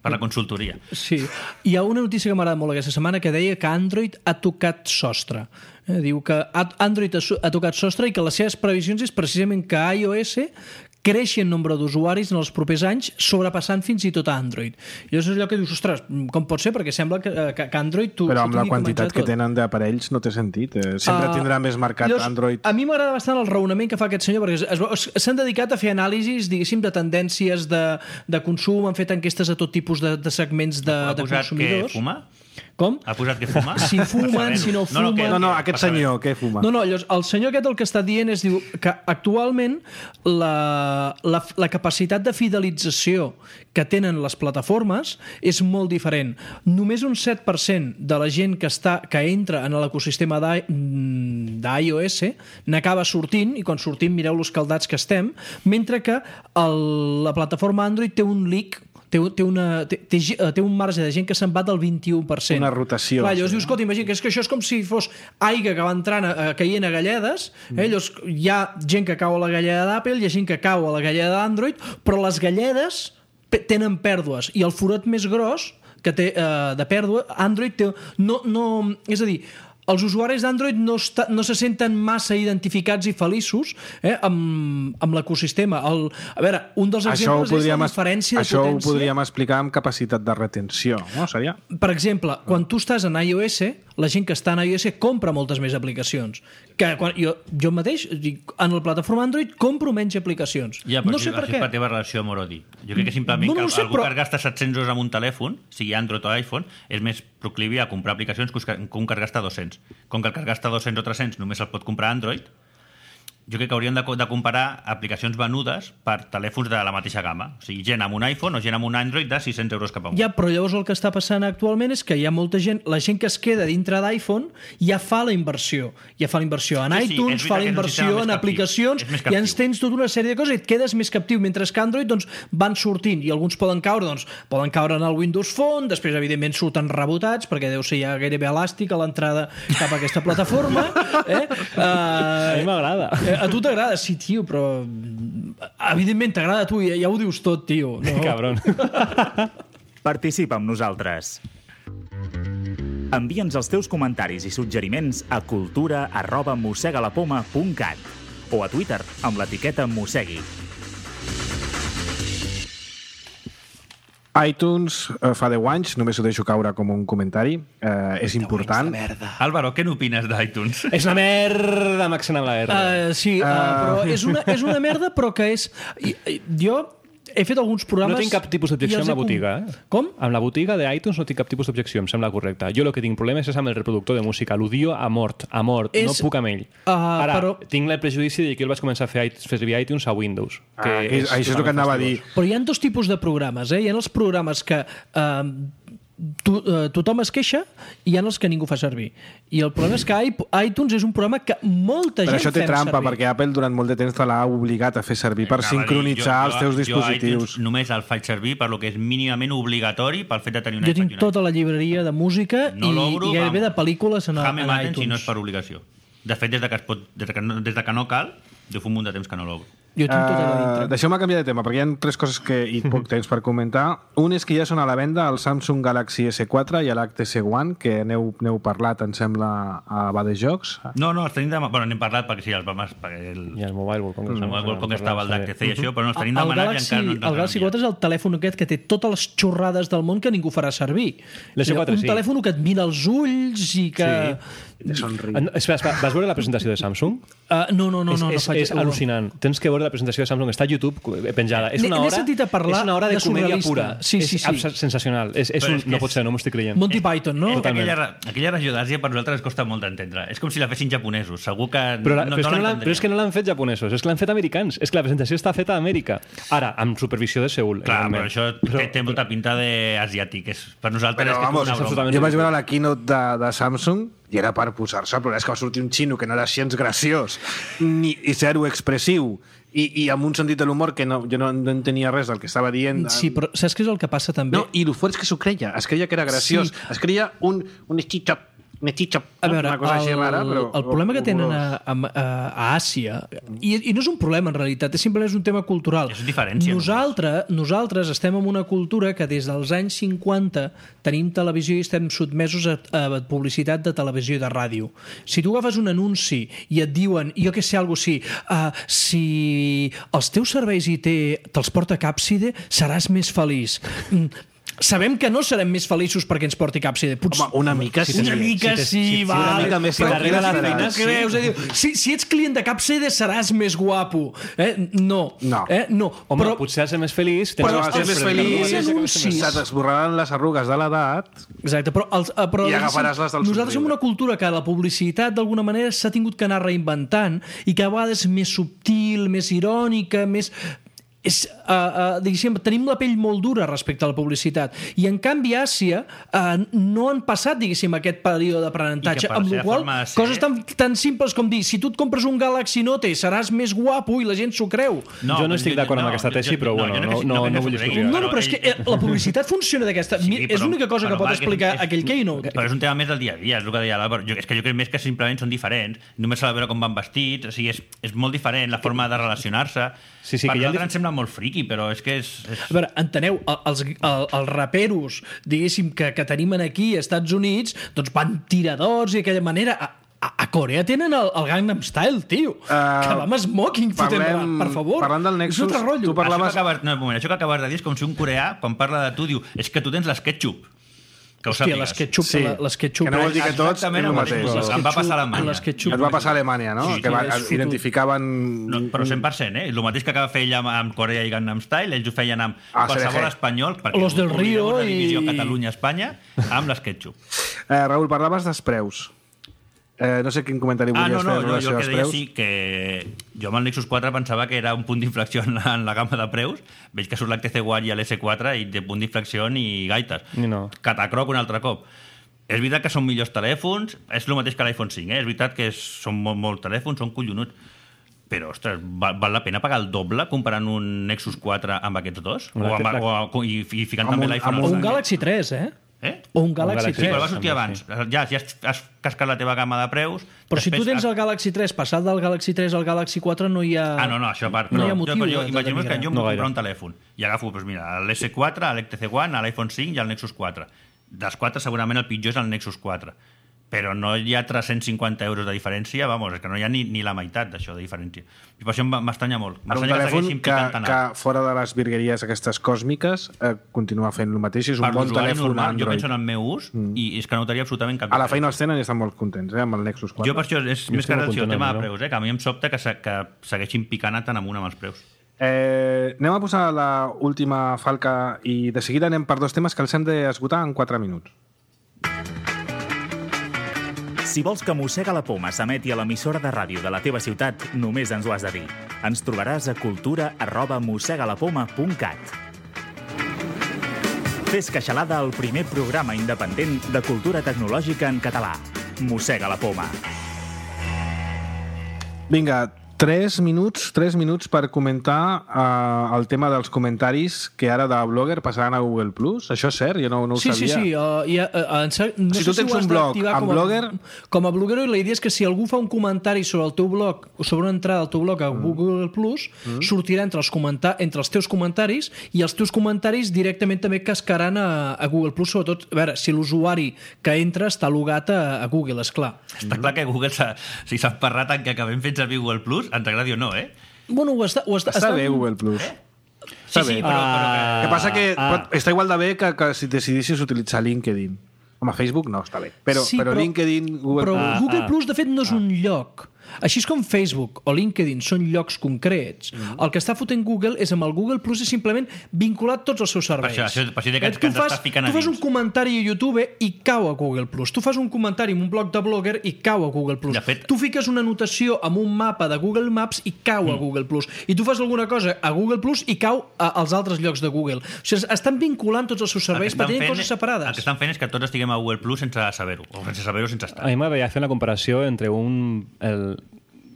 per la consultoria. Sí. Hi ha una notícia que m'agrada molt aquesta setmana que deia que Android ha tocat sostre. Eh, diu que Android ha tocat sostre i que les seves previsions és precisament que iOS creixi en nombre d'usuaris en els propers anys, sobrepassant fins i tot a Android. I és allò que dius, ostres, com pot ser? Perquè sembla que, que, que Android... Tu, Però amb la quantitat que tenen d'aparells no té sentit. Eh, sempre uh, tindrà més mercat llavors, Android. A mi m'agrada bastant el raonament que fa aquest senyor, perquè s'han dedicat a fer anàlisis, diguéssim, de tendències de, de consum, han fet enquestes a tot tipus de, de segments de, de consumidors. Que fuma? Com? Ha posat que fuma? Si fumen, si no fumen... No, no, que, no, no aquest senyor, què fuma? No, no, llavors, el senyor aquest el que està dient és diu, que actualment la, la, la capacitat de fidelització que tenen les plataformes és molt diferent. Només un set per cent de la gent que, està, que entra en l'ecosistema d'iOS n'acaba sortint, i quan sortim mireu los caldats que estem, mentre que el, la plataforma Android té un leak, Té, té, una, té, té, té un marge de gent que se'n va del vint-i-u per cent. Una rotació. Clar, llavors sí, dius, escolta, imagina que, és que això és com si fos aigua que va entrant a, a caient a galledes, eh? Llavors hi ha gent que cau a la galleda d'Apple, hi ha gent que cau a la galleda d'Android, però les galledes tenen pèrdues, i el forat més gros que té eh, de pèrdua, Android té... No, no, és a dir, els usuaris d'Android no, està, no se senten massa identificats i feliços eh, amb, amb l'ecosistema. El, a veure, un dels exemples és la diferència de això potència. Això ho podríem explicar amb capacitat de retenció, no? Seria? Per exemple, quan tu estàs en iOS, la gent que està en iOS compra moltes més aplicacions. Que quan, jo, jo mateix, en la plataforma Android, compro menys aplicacions. Ja, no sé per què. És per la teva relació amor-odi. Jo crec que simplement no, no que sé, algú però... que gasta set-cents euros en un telèfon, sigui Android o iPhone, és més proclivi a comprar aplicacions que un que gasta dos-cents. Com que el que gasta dos-cents o tres-cents només el pot comprar Android, jo crec que hauríem de, de comparar aplicacions venudes per telèfons de la mateixa gamma. O sigui, gent amb un iPhone o gent amb un Android de sis-cents euros cap amunt. Ja, però llavors el que està passant actualment és que hi ha molta gent, la gent que es queda dintre d'iPhone ja fa la inversió. Ja fa la inversió en sí, iTunes, sí, fa la inversió en aplicacions, i ens tens tota una sèrie de coses i et quedes més captiu, mentre que Android doncs, van sortint, i alguns poden caure, doncs, poden caure en el Windows Phone, després evidentment surten rebotats, perquè deu ser ja gairebé elàstic a l'entrada cap a aquesta plataforma. Eh? Uh, a mi m'agrada. A tu t'agrada? Sí, tio, però evidentment t'agrada a tu, ja, ja ho dius tot, tio. No? Cabron. Participa amb nosaltres. Envia'ns els teus comentaris i suggeriments a cultura arroba mossegalapoma punt cat o a Twitter amb l'etiqueta mossegui. iTunes eh, fa deu anys, només ho deixo caure com un comentari, eh, és important. Álvaro, què n'opines d'iTunes? És una merda, m'accent amb la R. Uh, sí, uh, uh... però és una, és una merda, però que és... Jo he fet alguns programes... No tinc cap tipus d'objecció amb la botiga. Eh? Com? Amb la botiga d'iTunes no tinc cap tipus d'objecció, em sembla correcte. Jo el que tinc problemes és amb el reproductor de música. L'odio a mort, a mort. És... No puc amb ell. Uh, Ara, però... tinc el prejudici de que jo el vaig començar a fer, fer servir iTunes a Windows. Que ah, que és, això és el que anava a dir. Però hi ha dos tipus de programes. Eh? Hi ha els programes que... Uh, To, uh, tothom es queixa i hi ha els que ningú fa servir, i el problema és que iTunes és un programa que molta però gent això té fem trampa servir. Perquè Apple durant molt de temps te l'ha obligat a fer servir per sincronitzar jo, els teus jo, dispositius. Jo només el faig servir per lo que és mínimament obligatori pel fet de tenir un jo tinc tota la llibreria de música no i, i gairebé de pel·lícules en, en iTunes. Si no és per obligació. De fet, des de que, es pot, des de que, no, des de que no cal, jo fa un munt de temps que no l'obro. Jo tinc tota la dintre. Uh, Deixeu-me canviar de tema, perquè hi ha tres coses que i poc temps per comentar. Un és que ja són a la venda el Samsung Galaxy esse quatre i l'H T C One, que n'heu, n'heu parlat, em sembla, a Badejocs. No, no, els tenim de... Bueno, n'hem parlat perquè sí, els vam... Perquè el... I el Mobile World Congress. El Mobile World Congress estava el d'H T C i això, però no els tenim demanat i encara no ens el Galaxy quatre és el telèfon aquest que té totes les xorrades del món que ningú farà servir. L'S quatre, un sí. telèfon que et mira els ulls i que... Sí. Espera, espera, vas veure la presentació de Samsung? Uh, no, no, no, és, no, no és, faig és al·lucinant. Tens que veure de la presentació de Samsung està a YouTube penjada. És una N'he hora, sentit a parlar és una hora de, de comèdia surrealista. pura. Sí, sí, és sí. abs- sensacional. És, és un, és que no és- pot ser, no m'ho estic creient. Monty Python, no? És que Totalment. aquella, aquella regió d'Àsia per nosaltres ens costa molt d'entendre. És com si la fessin japonesos. Segur que Però, la, no, però, és no que no l'han, l'entendríem. però és que no l'han fet japonesos, és que l'han fet americans. És que la presentació està feta a Amèrica. Ara, amb supervisió de Seul. Clar, però evidentment. això té, té molta pinta d'asiàtic. És, per nosaltres Però, és que vamos, és una broma. absolutament jo vaig veure la keynote de, de Samsung i era per posar-se, però és que va sortir un xino que no era gens graciós ni i zero expressiu i, i amb un sentit de l'humor que no, jo no, no entenia res del que estava dient. Sí, però saps què és el que passa també? No, i el fort és que s'ho creia, es creia que era graciós, Sí. es creia un, un stitch-up, un stitch-up, A veure, una cosa el, així rara, però... el problema que tenen a, a, a Àsia, i, i no és un problema en realitat, és simplement és un tema cultural. És diferència, Nosaltres, nosaltres estem en una cultura que des dels anys cinquanta tenim televisió i estem sotmesos a, a publicitat de televisió i de ràdio. Si tu agafes un anunci i et diuen, jo que sé, alguna cosa així, uh, si els teus serveis I T te'ls porta Càpside, seràs més feliç. Mm, sabem que no serem més feliços perquè ens porti Càpside. Potser... Home, una mica sí. Una mica si te- sí, si- si va. una mica més Però tranquil·la què estaràs. t'ho creus? Eh? Si, si ets client de Càpside seràs més guapo. Eh? No. No. Eh? no. Home, però, potser has de ser més feliç. tens Però els has teus més predicadors, feliç, els anuncis. se t'esborraran les arrugues de l'edat. exacte, però, els, eh, però I agafaràs les del nosaltres som somriure. una cultura que la publicitat d'alguna manera s'ha tingut que anar reinventant i que a vegades és més subtil, més irònica, més... És, uh, uh, diguéssim, tenim la pell molt dura respecte a la publicitat i en canvi a Àsia uh, no han passat, diguéssim, aquest període d'aprenentatge, I que per amb la la seva qual forma de ser- coses tan, tan simples com dir, si tu et compres un Galaxy Note seràs més guapo i la gent s'ho creu. Jo no estic d'acord amb aquesta tesi, però bueno, no- no- no vull discutir. No, no, però és que eh, la publicitat funciona d'aquesta... Sí, Sí, és però- l'única cosa però que pot va, que explicar és- aquell keynote. Però és un tema més del dia a dia, és el que deia l'Àlvaro. Jo- És que jo crec més que simplement són diferents. Només s'ha de veure com van vestits, o sigui, és, és molt diferent la forma de relacionar-se. Sí, sí, per que hi ha nosaltres dif- ens sembla molt friqui, però és que és... és... A veure, enteneu, el- els, el, els raperos, diguéssim, que, que tenim aquí als Estats Units, doncs van tiradors i d'aquella manera... A, a, a Corea tenen el, el Gangnam Style, tio. Uh, que va amb smoking fotent rap, per favor. Parlant del Nexus, és un altre rotllo. tu parlaves... Això que acabes, no, un moment, això que acabes de dir és com si un coreà, quan parla de tu, diu és que tu tens l'SketchUp. Que ho Hòstia, sàpigues. l'SketchUp, Sí, la- l'SketchUp. que no vol dir que tots Exactament és el el mateix. mateix. Em va passar a Alemanya. l'SketchUp. Et va passar a Alemanya, no? Sí, que va, sí, és fotut. identificaven... No, però cent per cent, eh? El mateix que acaba fer ella amb, amb Corea i Gangnam Style, ells ho feien amb Ah, qualsevol C D G. espanyol, perquè Los del oblideu Río una divisió i- Catalunya-Espanya, amb l'SketchUp. Eh, Raül, parlaves dels preus. Eh, no sé quin comentari Ah, volies no, no, fer en jo, relació jo el als que deia preus. sí que jo amb el Nexus quatre pensava que era un punt d'inflexió en, la, en la gamma de preus. Veig que surt l'H T C One i l'S quatre i de punt d'inflexió ni gaites. Ni no. Catacroc un altre cop. És veritat que són millors telèfons, és el mateix que l'iPhone cinc, eh? És veritat que és, són molt, molt telèfons, són collonuts. Però, ostres, val, val la pena pagar el doble comparant un Nexus quatre amb aquests dos? O, amb, La- o, o i, i ficant Amb també un- l'iPhone amb O al un sac? Galaxy tres, eh? Eh? O un Galaxy Galaxy Sí, tres. però va sortir també, abans. Ja, si has, has cascat la teva gamma de preus... Però si tu després tens el Galaxy tres, passat del Galaxy tres al Galaxy quatre no hi ha... Ah, no, no, això a part. No hi ha jo, motiu però de- jo, de imaginem que denigrar. jo em No vull gaire. comprar un telèfon i agafo, doncs mira, l'S quatre, l'H T C One, l'iPhone cinc i el Nexus quatre. Dels quatre segurament el pitjor és el Nexus quatre. Però no hi ha tres-cents cinquanta euros de diferència, vamos, és que no hi ha ni, ni la meitat d'això de diferència. I per això m'estranya molt. Ara un M'estranya que telèfon segueixin que, picant tant que alt. fora de les virgueries aquestes còsmiques eh, continua fent el mateix, és un Per bon l'usuari telèfon normal, jo Android. penso en el meu ús i és que no notaria absolutament cap A la feina els tenen i estan molt contents, eh, amb el Nexus quatre. Jo per això és Jo més estic que molt relació al content tema amb de això. preus, eh? Que a mi em sobta que, se, que segueixin picant tant amunt amb els preus. Eh, anem a posar la última falca i de seguida anem per dos temes que els hem d'esgotar en quatre minuts. Si vols que Mossega la Poma s'emeti a l'emissora de ràdio de la teva ciutat, només ens ho has de dir. Ens trobaràs a cultura arroba mossegalapoma punt cat. Fes Queixalada, el primer programa independent de cultura tecnològica en català. Mossega la Poma. Vinga, tres minuts, tres minuts per comentar uh, el tema dels comentaris que ara de Blogger passaran a Google Plus. Això és cert? Jo no, no ho Sí, sí, sabia. sí. Uh, ja, uh, en ser, no Si sé tu tens ho has un blog d'activar amb com a, Blogger- Com a bloguero, i la idea és que si algú fa un comentari sobre el teu blog o sobre una entrada al teu blog a Google Plus, mm. sortirà entre els, comenta entre els teus comentaris i els teus comentaris directament també cascaran a, a Google Plus, sobretot, a veure, si l'usuari que entra està logat a, a Google, esclar. Està clar que Google s'ha si s'ha emparrat en que acabem fent servir Google Plus, ens agradi o no, eh? Bueno, ho està, ho està, Està bé Google Plus. Sí, sí, però, però que... El que passa que Ah. pot, està igual de bé que, que si decidissis utilitzar LinkedIn. Home, Facebook no, està bé. Però, Sí, però, però- LinkedIn, Google... Però Ah, Google ah. Plus, de fet, no és un lloc. Així és com Facebook o LinkedIn són llocs concrets, mm-hmm. el que està fotent Google és amb el Google Plus és simplement vinculat tots els seus serveis. Per això, això, per això que, que ens fas, està ficant a tu fas dins. un comentari a YouTube i cau a Google Plus. Tu fas un comentari en un blog de Blogger i cau a Google Plus. Fet... Tu fiques una anotació amb un mapa de Google Maps i cau mm. a Google Plus. I tu fas alguna cosa a Google Plus i cau a, als altres llocs de Google. O sigui, estan vinculant tots els seus serveis per tenir coses separades. El que estan fent és que tots estiguem a Google Plus sense saber-ho, o sense saber-ho sense estar. A mi m'agradaria fer una comparació entre un, el,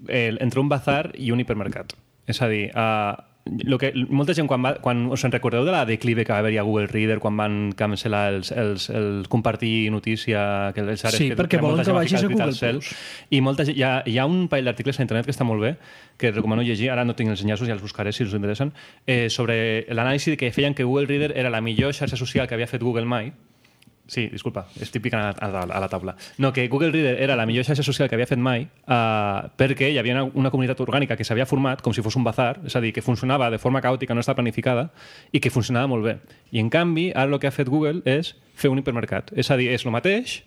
el, entre un bazar i un hipermercat. És a dir, uh, lo que, molta gent, quan, va, quan us en recordeu de la declive que va haver-hi a Google Reader, quan van cancel·lar els, els, els compartir notícia, que els ares, sí, que, perquè que volen que gent vagis a Google cel, Plus. I molta gent, hi, ha, hi ha un parell d'articles a internet que està molt bé, que recomano llegir, ara no tinc els enllaços, ja els buscaré si us interessen, eh, sobre l'anàlisi que feien que Google Reader era la millor xarxa social que havia fet Google mai. Sí, disculpa, estic picant a, a, a la taula. No, que Google Reader era la millor xarxa social que havia fet mai uh, perquè hi havia una, una comunitat orgànica que s'havia format com si fos un bazar, és a dir, que funcionava de forma caòtica, no estava planificada, i que funcionava molt bé. I, en canvi, ara el que ha fet Google és fer un hipermercat. És a dir, és el mateix,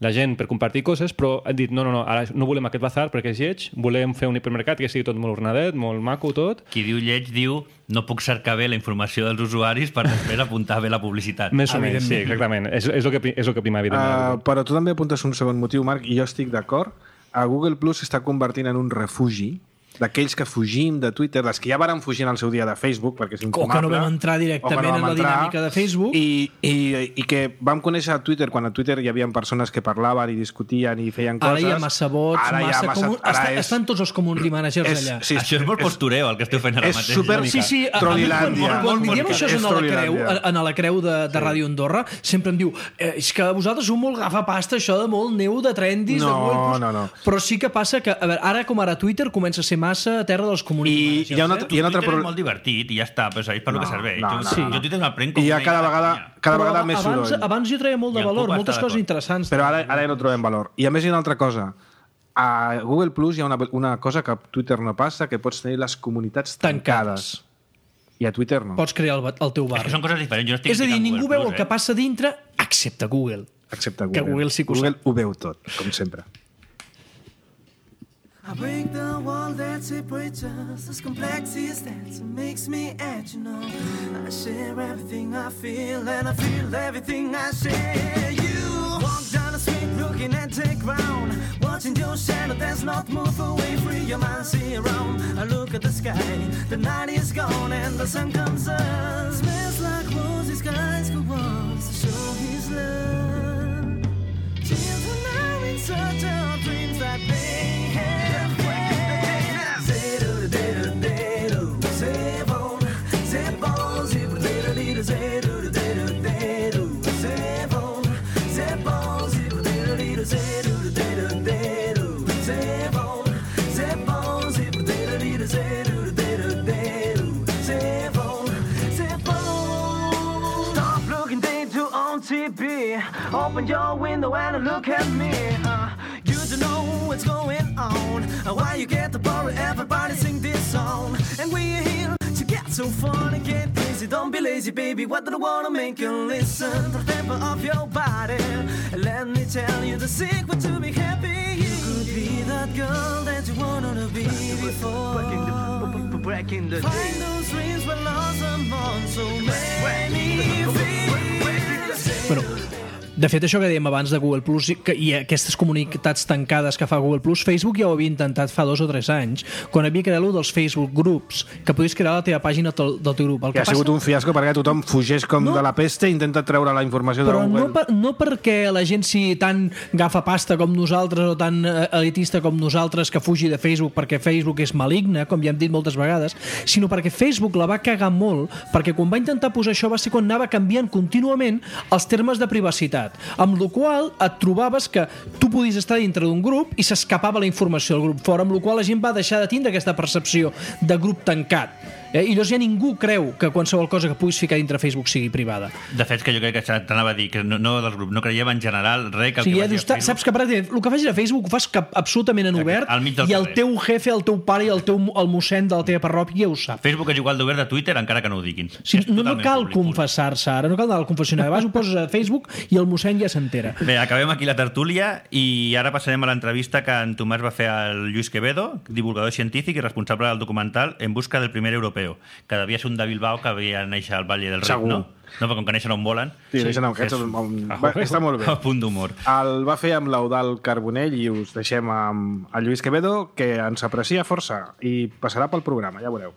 la gent per compartir coses, però han dit, no, no, no, ara no volem aquest bazar perquè és lleig, volem fer un hipermercat que sigui tot molt ordenadet, molt maco, tot. Qui diu lleig diu no puc cercar bé la informació dels usuaris per després apuntar bé la publicitat. Més o menys, sí, exactament. És, és, el que, és el que prima, evidentment. Uh, però tu també apuntes un segon motiu, Marc, i jo estic d'acord. A Google Plus s'està convertint en un refugi d'aquells que fugim de Twitter, les que ja varen fugir en el seu dia de Facebook, perquè és infumable. O que no vam entrar directament no vam en la entrar, dinàmica de Facebook. I, i, I que vam conèixer a Twitter, quan a Twitter hi havia persones que parlaven i discutien i feien coses. Ara hi ha massa bots, ara massa... Ha massa comun... Està, és... Estan tots els community managers és, allà. Sí, això és molt postureu, el que esteu fent ara és mateix. És super... Sí, sí, Trollilàndia. Quan, quan mi diem això és en la creu, en la creu de, de sí. Ràdio Andorra, sempre em diu eh, és que vosaltres sou molt gafapasta, això de molt neu de trendis, no, de molt... no, no. Però sí que passa que, a veure, ara com ara Twitter comença a ser massa a terra dels community managers. I hi ha una, eh? hi ha una altra Twitter és molt divertit i ja està, però és per no, lo que serveix. No, jo, no, sí. no. jo Twitter me'l prenc com I hi ha cada una vegada, cada vegada però més abans, soroll. abans jo treia molt de valor, moltes coses interessants. Però ara, ara ja no trobem valor. I a més hi ha una altra cosa. A Google Plus hi ha una, una cosa que a Twitter no passa, que pots tenir les comunitats tancades. tancades. I a Twitter no. Pots crear el, el teu bar. És que són coses diferents. Jo no estic és a dir, ningú Google veu Plus, el que passa dintre, excepte Google. Excepte Google. Que Google sí que ho Google ho veu tot, com sempre. I break the wall that separates us. As complex as that, so makes me act, you know. I share everything I feel, and I feel everything I share. You walk down the street looking at the ground, watching your shadow that's not move away. Free your mind, see around. I look at the sky, the night is gone and the sun comes up. Smells like roses, skies go on to show his love. Children are in search of dreams that they have. Open your window and look at me. Uh, you don't know what's going on. Uh, why you get the ball, everybody sing this song. And we're here to get so fun and get busy. Don't be lazy, baby. What do you wanna make you listen? To the tempo of your body. Let me tell you the secret to be happy. You could be that girl that you wanted to be before. Breaking the Find those dreams were lost among so many fears. Bueno, de fet, això que dèiem abans de Google Plus i, i aquestes comunitats tancades que fa Google Plus, Facebook ja ho havia intentat fa dos o tres anys, quan havia creat dels Facebook Groups, que podies crear la teva pàgina del, del teu grup. El que, que ha sigut passa... un fiasco perquè tothom fugeix com no, de la pesta i intenta treure la informació de Google. Però no, per, no perquè la gent sigui tan gafapasta com nosaltres o tan elitista com nosaltres que fugi de Facebook perquè Facebook és maligne, com ja hem dit moltes vegades, sinó perquè Facebook la va cagar molt, perquè quan va intentar posar això va ser quan anava canviant contínuament els termes de privacitat, amb la qual et trobaves que tu podies estar dintre d'un grup i s'escapava la informació del grup fora, amb la qual la gent va deixar de tindre aquesta percepció de grup tancat. Eh? I llavors ja ningú creu que qualsevol cosa que puguis ficar dintre Facebook sigui privada. De fet, que jo crec que t'anava a dir que no, no dels grups, no creiem en general res que el O sigui, que ja vagi dius, a Facebook... saps que pràcticament el que facis a Facebook ho fas cap, absolutament en obert al mig del i el carrer. teu jefe, el teu pare i el teu el mossèn de la teva parròquia ho sap. Facebook és igual d'obert de Twitter encara que no ho diguin. O sigui, És no, no totalment cal públic, confessar-se ara, no cal anar al confessionari. Vas, ho poses a Facebook i el mossèn ja s'entera. Bé, acabem aquí la tertúlia i ara passarem a l'entrevista que en Tomàs va fer al Lluís Quevedo, divulgador científic i responsable del documental En busca del primer europeo, que devia ser un de Bilbao que havia néixer al Valle del Rift, Segur. no? No, però com que neixen on volen... Sí, sí. No, aquest és- és un, va, està molt bé. A punt d'humor. El va fer amb l'Eudald Carbonell i us deixem amb el Lluís Quevedo, que ens aprecia força i passarà pel programa, ja veureu.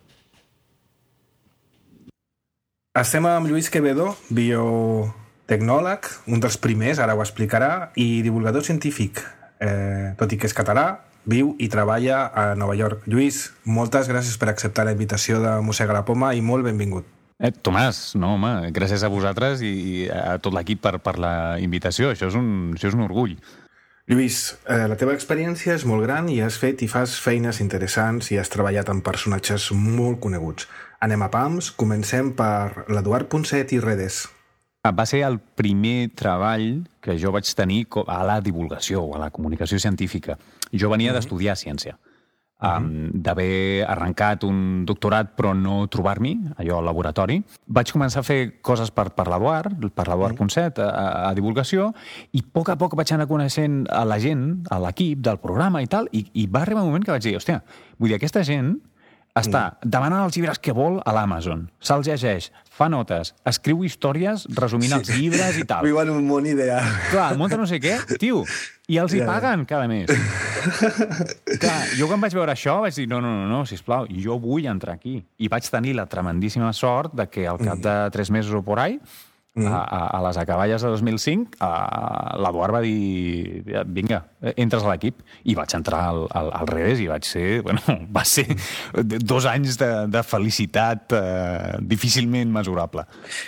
Estem amb Lluís Quevedo, biotecnòleg, un dels primers, ara ho explicarà, i divulgador científic. Eh, tot i que és català, viu i treballa a Nova York. Lluís, moltes gràcies per acceptar la invitació de Mossega la Poma i molt benvingut. Eh, Tomàs, no, home, gràcies a vosaltres i a tot l'equip per, per la invitació. Això és un, això és un orgull. Lluís, eh, la teva experiència és molt gran i has fet i fas feines interessants i has treballat amb personatges molt coneguts. Anem a pams, comencem per l'Eduard Ponset i Redes. Va ser el primer treball que jo vaig tenir a la divulgació o a la comunicació científica. Jo venia d'estudiar ciència. Um, d'haver arrencat un doctorat però no trobar-m'hi, allò al laboratori. Vaig començar a fer coses per, per l'Eduard, per l'Eduard mm. Ponset, a, a divulgació, i a poc a poc vaig anar coneixent a la gent, a l'equip del programa i tal, i, i va arribar un moment que vaig dir, hòstia, vull dir, aquesta gent està demanant els llibres que vol a l'Amazon, se'ls llegeix, fa notes, escriu històries resumint sí. els llibres i tal. Viu en un món ideal. Clar, munta no sé què, tio, i els hi paguen cada mes. Clar, jo quan vaig veure això vaig dir, no, no, no, no, sisplau, jo vull entrar aquí. I vaig tenir la tremendíssima sort de que al cap de tres mesos o por ahí, a, a, a les acaballes de dos mil cinc, l'Eduard va dir, vinga, entres a l'equip, i vaig entrar al, al, al Redes i vaig ser, bueno, va ser dos anys de, de felicitat eh, difícilment mesurable.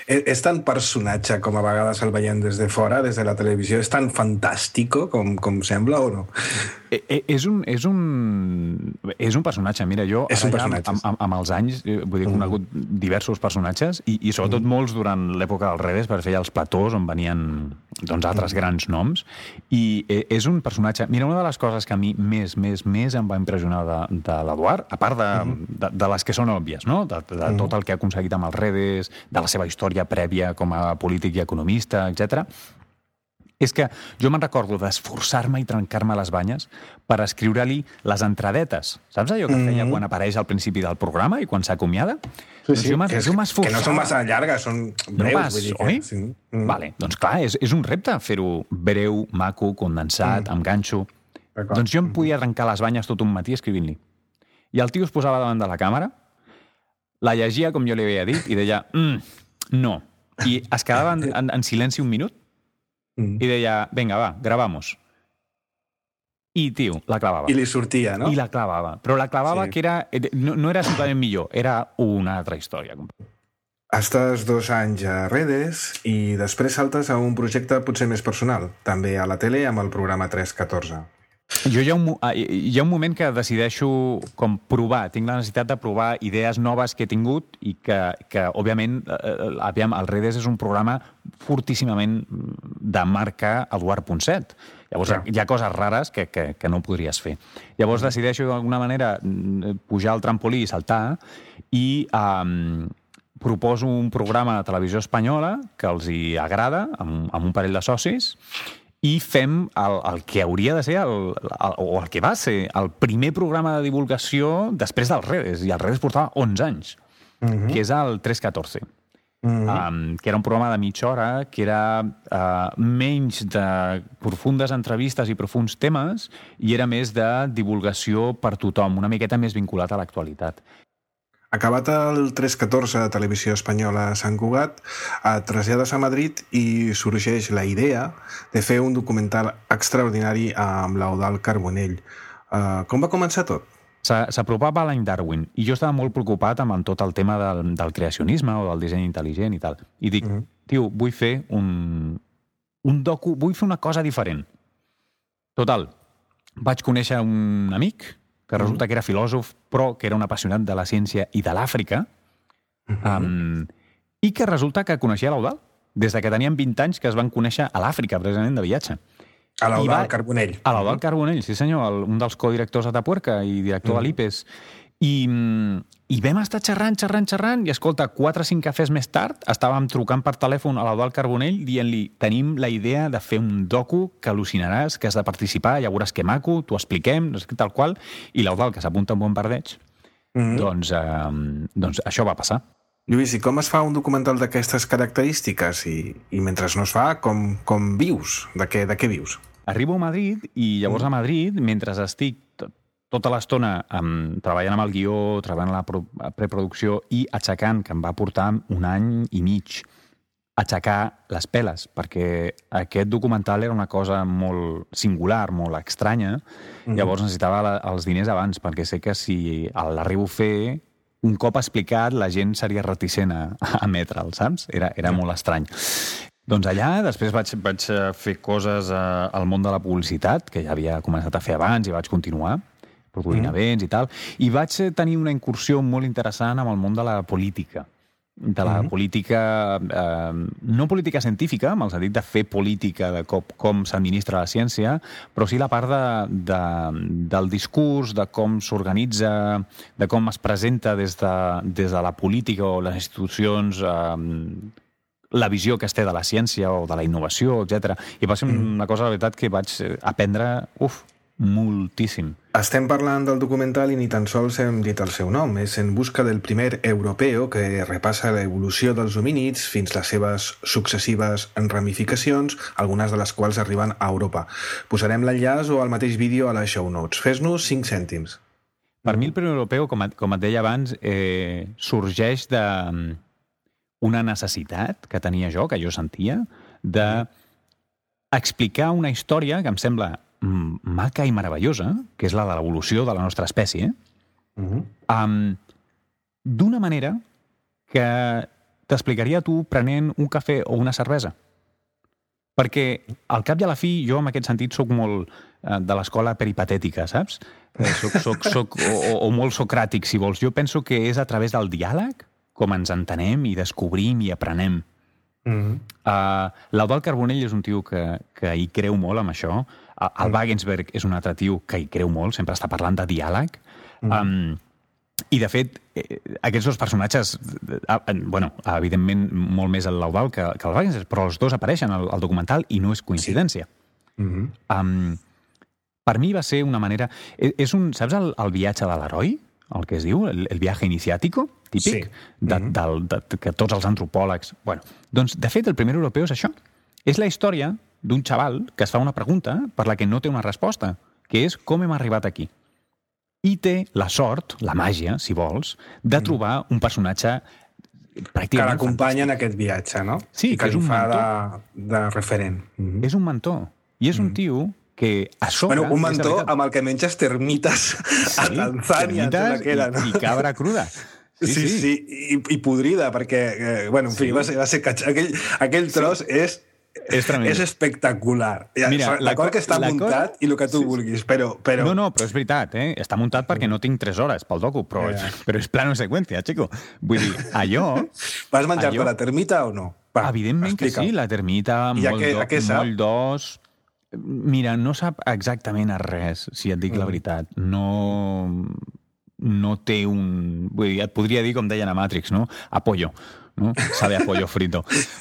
És, és tan personatge com a vegades el veiem des de fora, des de la televisió, és tan fantàstico com, com sembla o no? Eh, eh, és, un, és, un, és un personatge, mira, jo és un ja, personatge. amb, amb, amb els anys vull dir, he conegut mm. diversos personatges i, i sobretot mm. molts durant l'època del Redes, per fer els platós on venien doncs, altres mm. grans noms, i eh, és un personatge... Mira, una de les coses que a mi més, més, més em va impressionar de, de l'Eduard, a part de, mm. de, de les que són òbvies, no? de, de mm. tot el que ha aconseguit amb els Redes, de la seva història prèvia com a polític i economista, etcètera, és que jo me'n recordo d'esforçar-me i trencar-me les banyes per escriure-li les entradetes. Saps allò que feia quan apareix al principi del programa i quan s'acomiada? Sí, sí, doncs que, és, que no són massa llargues, són breus. No pas, vull dir que, oi? Sí. Mm. Vale, doncs clar, és, és un repte fer-ho breu, maco, condensat, mm. amb ganxo. Doncs jo em podia trencar les banyes tot un matí escrivint-li. I el tio es posava davant de la càmera, la llegia com jo li havia dit i deia, mm, no. I es quedava en, en, en silenci un minut i deia, venga, va, grabamos. I, tio, la clavava. I li sortia, no? I la clavava. Però la clavava sí. que era... No, no era simplement millor, era una altra història. Estàs dos anys a Redes i després saltes a un projecte potser més personal, també a la tele amb el programa tres catorze. Jo hi ha, un, hi ha un moment que decideixo com provar, tinc la necessitat de provar idees noves que he tingut i que, que òbviament, eh, aviam, el Redes és un programa fortíssimament de marca Eduard Ponset. Llavors, ja. hi ha coses rares que, que, que no podries fer. Llavors decideixo d'alguna manera pujar al trampolí i saltar i um, proposo un programa de televisió espanyola que els hi agrada, amb, amb un parell de socis, i fem el, el que hauria de ser, el, el, o el que va ser, el primer programa de divulgació després dels Redes, i el Redes portava onze anys, uh-huh. que és el tres catorze. Uh-huh. Um, que era un programa de mitja hora, que era uh, menys de profundes entrevistes i profuns temes, i era més de divulgació per tothom, una miqueta més vinculat a l'actualitat. Acabat el tres catorze de Televisió Espanyola a Sant Cugat, et trasllades a Madrid i sorgeix la idea de fer un documental extraordinari amb l'Eudald Carbonell. Uh, com va començar tot? S'apropava l'any Darwin i jo estava molt preocupat amb tot el tema del, del creacionisme o del disseny intel·ligent i tal. I dic, mm. tio, vull fer un, un docu, vull fer una cosa diferent. Total, vaig conèixer un amic que resulta que era filòsof, però que era un apassionat de la ciència i de l'Àfrica, Uh-huh. Um, I que resulta que coneixia l'Eudald des de que tenien vint anys, que es van conèixer a l'Àfrica, precisament, de viatge. A l'Eudald Carbonell. A l'Eudald Carbonell, sí senyor, el, un dels codirectors de Tapuerca i director uh-huh. de l'I P E S. I, I vam estar xerrant, xerrant, xerrant, i escolta, quatre o cinc cafès més tard estàvem trucant per telèfon a l'Eudald Carbonell dient-li, tenim la idea de fer un docu que al·lucinaràs, que has de participar, ja veuràs que maco, t'ho expliquem, no sé, tal qual, i l'Eudald, que s'apunta un bon pardeig, uh-huh. doncs, eh, doncs això va passar. Lluís, i com es fa un documental d'aquestes característiques? I, i mentre no es fa, com, com vius? De què, de què vius? Arribo a Madrid i llavors a Madrid, mentre estic tot, tota l'estona um, treballant amb el guió, treballant la pro, preproducció i aixecant, que em va portar un any i mig, aixecar les peles, perquè aquest documental era una cosa molt singular, molt estranya, mm-hmm. llavors necessitava la, els diners abans, perquè sé que si l'arribo a fer, un cop explicat, la gent seria reticent a, a emetre'l, saps? Era, era molt estrany. Doncs allà, després vaig, vaig fer coses eh, al món de la publicitat, que ja havia començat a fer abans i vaig continuar, produint mm. events i tal, i vaig tenir una incursió molt interessant amb el món de la política. De la mm. política, eh, no política científica, amb el sentit de fer política de com, com s'administra la ciència, però sí la part de, de, del discurs, de com s'organitza, de com es presenta des de, des de la política o les institucions, eh, la visió que es té de la ciència o de la innovació, etcètera. I va ser una cosa, la veritat, que vaig aprendre, uf, moltíssim. Estem parlant del documental i ni tan sols hem dit el seu nom. És En busca del primer europeo, que repassa l'evolució dels homínids fins les seves successives ramificacions, algunes de les quals arriben a Europa. Posarem l'enllaç o el mateix vídeo a les show notes. Fes-nos cinc cèntims. Per mi el primer europeu, com, a, com et deia abans, eh, sorgeix de una necessitat que tenia jo, que jo sentia, de explicar una història que em sembla maca i meravellosa, que és la de l'evolució de la nostra espècie, uh-huh. um, d'una manera que t'explicaria tu prenent un cafè o una cervesa. Perquè, al cap i a la fi, jo en aquest sentit soc molt eh, de l'escola peripatètica, saps? Eh, soc, soc, soc, o, o molt socràtic, si vols. Jo penso que és a través del diàleg com ens entenem i descobrim i aprenem. Uh-huh. Uh, L'Eudald Carbonell és un tio que, que hi creu molt amb això. El Wagensberg és un altre tio que hi creu molt, sempre està parlant de diàleg. Mm. Um, I, de fet, eh, aquests dos personatges, eh, bueno, evidentment molt més el l'Eudald que, que el Wagensberg, però els dos apareixen al, al documental i no és coincidència. Sí. Mm-hmm. Um, per mi va ser una manera... És un, saps el, el viatge de l'heroi? El que es diu, el, el viaje iniciático, típic, sí. de, mm-hmm. del, de, que tots els antropòlegs... Bueno, doncs, de fet, el primer europeu és això. És la història d'un xaval que es fa una pregunta per la que no té una resposta, que és com hem arribat aquí. I té la sort, la màgia, si vols, de trobar un personatge pràcticament que l'acompanya en aquest viatge, no? Sí, I que, que és un fa mentor. De, de referent. Mm-hmm. És un mentor. I és un tio que a sobre... Bueno, un mentor amb el que menges termites a sí, Tanzània, termites que era, no? I, i cabra cruda. Sí, sí, sí, sí. I, i podrida, perquè, eh, bueno, en fi, sí. va ser, va ser catx... aquell, aquell tros sí. és... És, és espectacular. Mira, D'acord que està muntat i el que tu sí, vulguis, però, però... No, no, però és veritat, eh? Està muntat perquè no tinc tres hores pel docu, però, yeah. però és plano seqüència, xico. Vull dir, allò... Vas menjar-te allò... la termita o no? Va, evidentment explica. Que sí, la termita, molt, què, do, molt d'os... Mira, no sap exactament a res, si et dic mm. la veritat. No... no té un... Vull dir, et podria dir, com deien a Matrix, no? Apoyo. No? Sabe a pollo frito.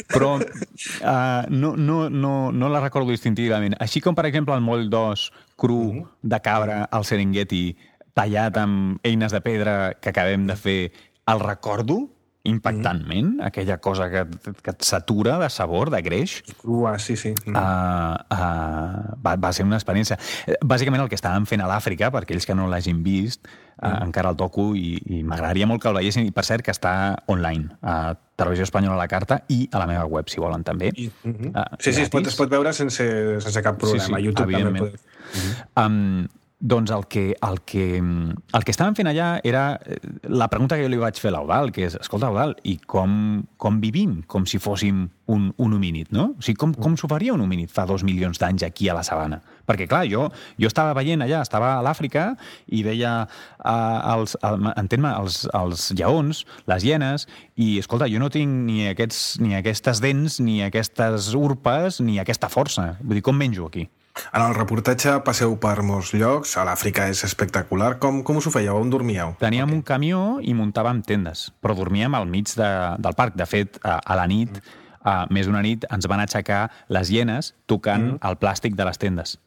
Però uh, no, no, no, no la recordo distintivament. Així com, per exemple, el moll d'os cru uh-huh. de cabra al Serengeti, tallat amb eines de pedra que acabem de fer, el recordo impactantment, uh-huh. aquella cosa que, que et satura de sabor, de greix. Crua, sí, sí. Uh-huh. Uh, uh, va, va ser una experiència. Bàsicament el que estàvem fent a l'Àfrica, per aquells que no l'hagin vist, uh, uh-huh. encara el docu, i, i m'agradaria molt que el veiessin, i per cert que està online, a Televisió Espanyola a la carta i a la meva web, si volen, també. I, uh-huh. uh, sí, sí, es pot, es pot veure sense, sense cap problema. Sí, sí, a YouTube també podeu. Uh-huh. Um, doncs el que, el, que, el que estàvem fent allà era la pregunta que jo li vaig fer a l'Eudald, que és, escolta, Eudald, i com, com vivim com si fóssim un, un homínid, no? O sigui, com, com s'ho faria un homínid fa dos milions d'anys aquí a la sabana? Perquè, clar, jo, jo estava veient allà, estava a l'Àfrica i veia uh, els, el, entén-me, els, els lleons, les hienes, i, escolta, jo no tinc ni, aquests, ni aquestes dents, ni aquestes urpes, ni aquesta força. Vull dir, com menjo aquí? En el reportatge passeu per molts llocs, a l'Àfrica és espectacular. Com, com us ho fèieu? On dormíeu? Teníem okay. un camió i muntàvem tendes, però dormíem al mig de, del parc. De fet, a, a la nit, a, més d'una nit, ens van aixecar les hienes tocant mm. el plàstic de les tendes.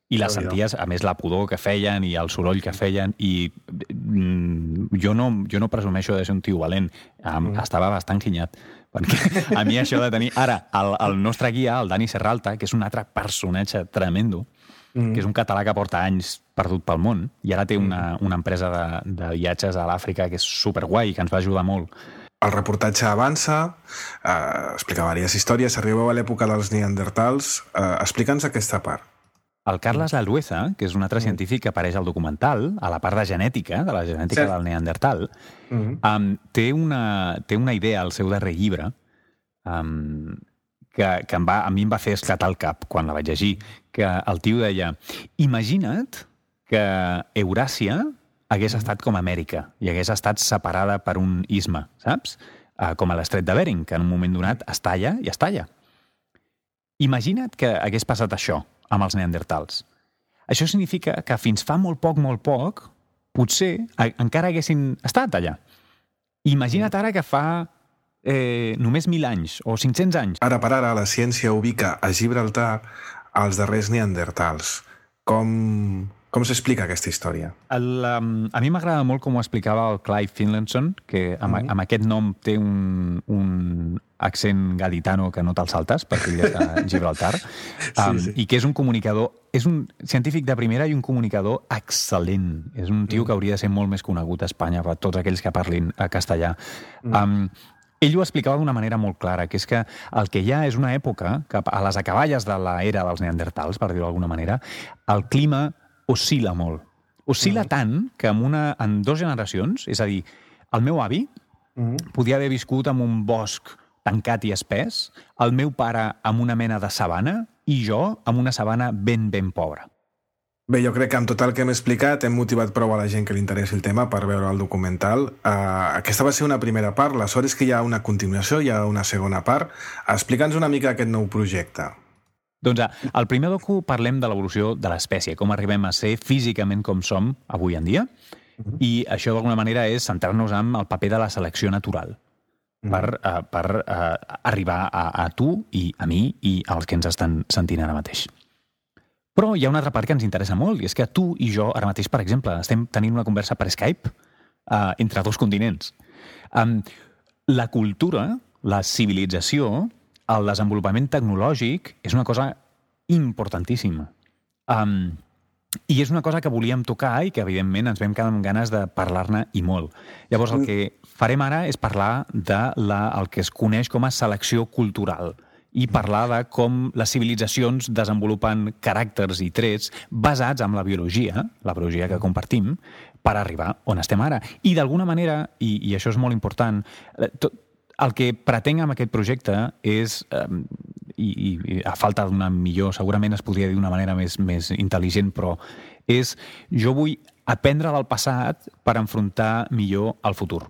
I les senties, a més, la pudor que feien i el soroll que feien, i mm, jo, no, jo no presumeixo de ser un tio valent. Um, mm. Estava bastant quinyat. Perquè a mi això de tenir... Ara, el, el nostre guia, el Dani Serralta, que és un altre personatge tremendo, mm. que és un català que porta anys perdut pel món, i ara té una, una empresa de, de viatges a l'Àfrica que és superguai, que ens va ajudar molt. El reportatge avança, eh, explica diverses històries, arribeu a l'època dels neandertals. Eh, Explica'ns aquesta part. El Carles Lalueza, que és un altre científic que apareix al documental, a la part de genètica, de la genètica sí. del neandertal, mm-hmm. um, té, una, té una idea al seu darrer llibre um, que, que em va, a mi em va fer esclatar el cap quan la vaig llegir, que el tio deia, imagina't que Euràsia hagués mm-hmm. estat com Amèrica i hagués estat separada per un istme, saps? Uh, com a l'estret de Bering, que en un moment donat es talla i es talla. Imagina't que hagués passat això amb els neandertals. Això significa que fins fa molt poc, molt poc, potser encara haguessin estat allà. Imagina't ara que fa eh, només mil anys o cinc-cents anys. Ara per ara la ciència ubica a Gibraltar els darrers neandertals. Com, com s'explica aquesta història? El, um, a mi m'agrada molt com ho explicava el Clive Finlayson, que amb, mm-hmm. amb aquest nom té un, un accent gaditano que no te'l saltes, perquè ell és de Gibraltar, um, sí, sí. i que és un comunicador, és un científic de primera i un comunicador excel·lent. És un tio mm. que hauria de ser molt més conegut a Espanya per tots aquells que parlin a castellà. Mm. Um, ell ho explicava d'una manera molt clara, que és que el que hi ha és una època, que a les acaballes de l'era dels neandertals, per dir-ho d'alguna manera, el clima oscil·la molt. Oscil·la mm. tant que en, una, en dues generacions, és a dir, el meu avi mm. podia haver viscut en un bosc tancat i espès, el meu pare amb una mena de sabana i jo amb una sabana ben, ben pobra. Bé, jo crec que amb tot el que hem explicat hem motivat prou a la gent que li interessi el tema per veure el documental. Uh, aquesta va ser una primera part, la sort és que hi ha una continuació, hi ha una segona part. Explica'ns una mica aquest nou projecte. Doncs al primer docu parlem de l'evolució de l'espècie, com arribem a ser físicament com som avui en dia, uh-huh. i això d'alguna manera és centrar-nos en el paper de la selecció natural. per, uh, per uh, arribar a, a tu i a mi i als que ens estan sentint ara mateix. Però hi ha una altra part que ens interessa molt, i és que tu i jo ara mateix, per exemple, estem tenint una conversa per Skype uh, entre dos continents. Um, la cultura, la civilització, el desenvolupament tecnològic és una cosa importantíssima. Um, I és una cosa que volíem tocar i que, evidentment, ens vam quedar amb ganes de parlar-ne i molt. Llavors, el que farem ara és parlar de la, el que es coneix com a selecció cultural i parlar de com les civilitzacions desenvolupen caràcters i trets basats en la biologia, la biologia que compartim, per arribar on estem ara. I, d'alguna manera, i, i això és molt important, tot, el que pretenc amb aquest projecte és, eh, i, i a falta d'una millor, segurament es podria dir d'una manera més, més intel·ligent, però és, jo vull aprendre del passat per enfrontar millor el futur.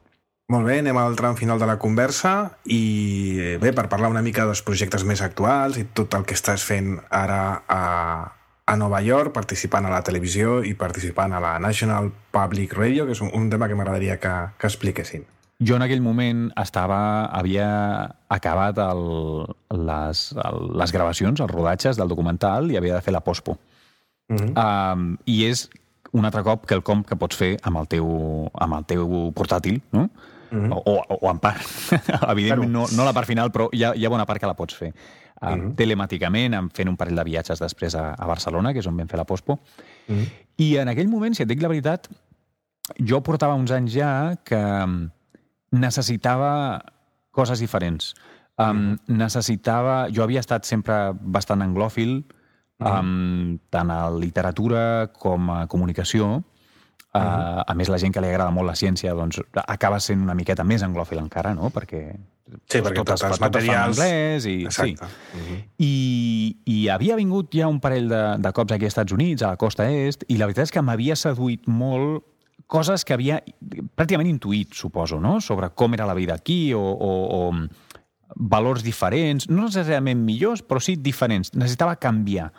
Molt bé, anem al tram final de la conversa i bé, per parlar una mica dels projectes més actuals i tot el que estàs fent ara a, a Nova York, participant a la televisió i participant a la National Public Radio, que és un, un tema que m'agradaria que, que expliquessin. Jo en aquell moment estava, havia acabat el, les, el, les gravacions, els rodatges del documental i havia de fer la pospo. Uh-huh. um, I és un altre cop quelcom que pots fer amb el teu, amb el teu portàtil, no? Uh-huh. o, o, o en part. Evidentment no, no la part final, però hi ha, hi ha bona part que la pots fer. Um, uh-huh. Telemàticament, fent un parell de viatges després a, a Barcelona, que és on vam fer la pospo. Uh-huh. I en aquell moment, si et dic la veritat, jo portava uns anys ja que necessitava coses diferents. Um, mm-hmm. Necessitava... Jo havia estat sempre bastant anglòfil, uh-huh. um, tant a literatura com a comunicació. Uh, uh-huh. A més, la gent que li agrada molt la ciència doncs, acaba sent una miqueta més anglòfil encara, no? Perquè, sí, perquè tots els materials... anglès i, exacte. Sí. Uh-huh. I, I havia vingut ja un parell de, de cops aquí als Estats Units, a la costa est, i la veritat és que m'havia seduït molt coses que havia pràcticament intuït, suposo, no? Sobre com era la vida aquí o, o, o valors diferents, no necessàriament millors, però sí diferents. Necessitava canviar.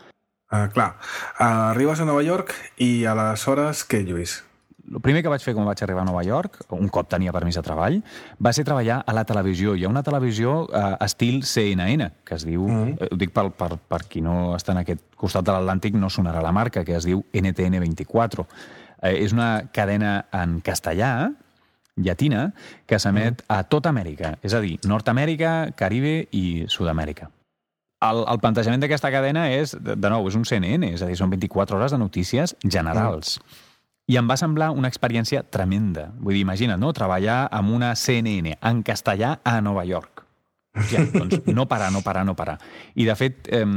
Uh, clar, uh, arribes a Nova York i aleshores què, Lluís? El primer que vaig fer quan vaig arribar a Nova York, un cop tenia permís de treball, va ser treballar a la televisió. Hi ha una televisió uh, estil C N N, que es diu, mm. eh, ho dic per, per, per qui no està en aquest costat de l'Atlàntic, no sonarà la marca, que es diu N T N vint-i-quatre. Eh, és una cadena en castellà, llatina, que s'emet mm. a tota Amèrica, és a dir, Nord-Amèrica, Caribe i Sud-amèrica. El, el plantejament d'aquesta cadena és, de nou, és un C N N, és a dir, són vint-i-quatre hores de notícies generals. Mm. I em va semblar una experiència tremenda. Vull dir, imagina't, no? Treballar amb una C N N en castellà a Nova York. Ja, doncs no parar, no parar, no parar. I, de fet, eh,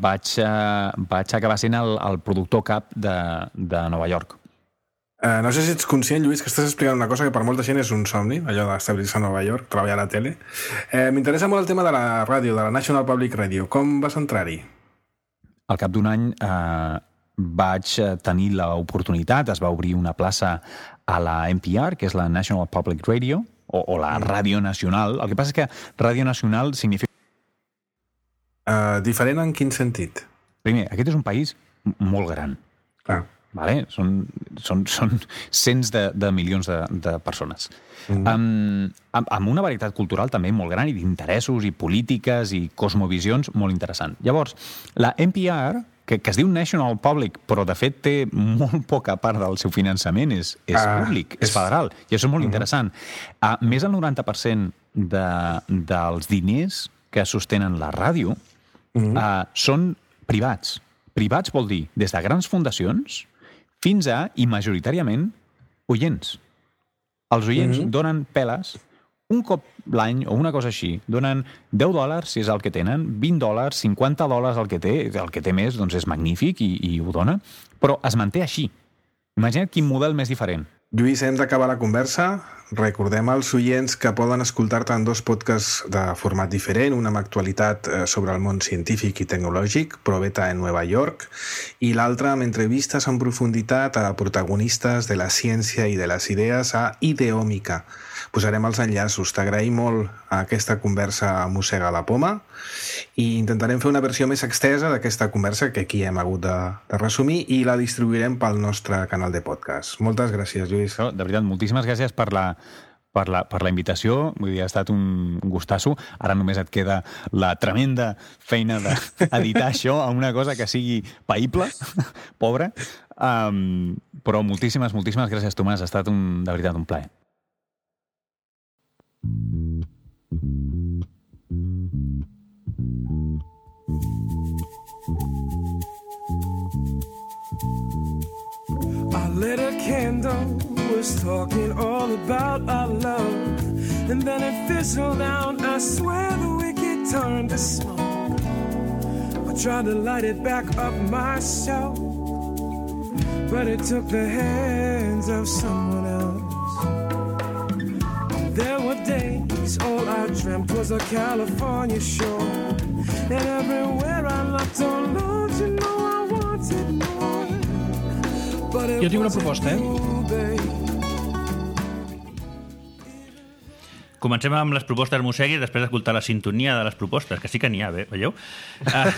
vaig, eh, vaig acabar sent el, el productor cap de, de Nova York. Uh, no sé si ets conscient, Lluís, que estàs explicant una cosa que per molta gent és un somni, allò d'establir-se a Nova York, treballar a la tele. Uh, M'interessa molt el tema de la ràdio, de la National Public Radio. Com vas entrar-hi? Al cap d'un any eh, vaig tenir l'oportunitat, es va obrir una plaça a la N P R, que és la National Public Radio, o, o la Ràdio Nacional. El que passa és que Ràdio Nacional significa... Uh, diferent en quin sentit? Primer, aquest és un país molt gran. Clar. Vale? Són, són, són cents de, de milions de, de persones. Mm. Um, amb, amb una varietat cultural també molt gran i d'interessos i polítiques i cosmovisions molt interessant. Llavors, la N P R, que, que es diu National Public, però de fet té molt poca part del seu finançament, és, és ah, públic, és, és federal, i això és molt mm. interessant. Uh, més del noranta per cent de, dels diners que sostenen la ràdio mm. uh, són privats. Privats vol dir des de grans fundacions fins a, i majoritàriament, oients. Els oients mm-hmm. donen peles un cop l'any o una cosa així. Donen deu dòlars, si és el que tenen, vint dòlars, cinquanta dòlars el que té. El que té més doncs és magnífic i, i ho dona. Però es manté així. Imagina't quin model més diferent. Lluís, hem d'acabar la conversa. Recordem als oients que poden escoltar-te en dos podcasts de format diferent, un amb actualitat sobre el món científic i tecnològic, ProBeta en Nova York, i l'altre amb entrevistes en profunditat a protagonistes de la ciència i de les idees a Ideòmica. Posarem els enllaços. T'agraïm molt aquesta conversa a Mossega la Poma i intentarem fer una versió més extesa d'aquesta conversa que aquí hem hagut de, de resumir i la distribuirem pel nostre canal de podcast. Moltes gràcies, Lluís. De veritat, moltíssimes gràcies per la, per la, per la invitació. Vull dir, ha estat un gustasso. Ara només et queda la tremenda feina d'editar això a una cosa que sigui païble, pobra. Um, però moltíssimes, moltíssimes gràcies, Tomàs. Ha estat un, de veritat un plaer. I lit a candle, was talking all about our love, and then it fizzled out. I swear the wicked turned to smoke. I tried to light it back up myself, but it took the hands of someone else. There were days all I dreamt was a California shore, and everywhere I looked on love, you know I wanted more. Jo tinc una proposta, eh? Comencem amb les propostes Mossegui i després d'escoltar la sintonia de les propostes, que sí que n'hi ha, bé, veieu? Uh,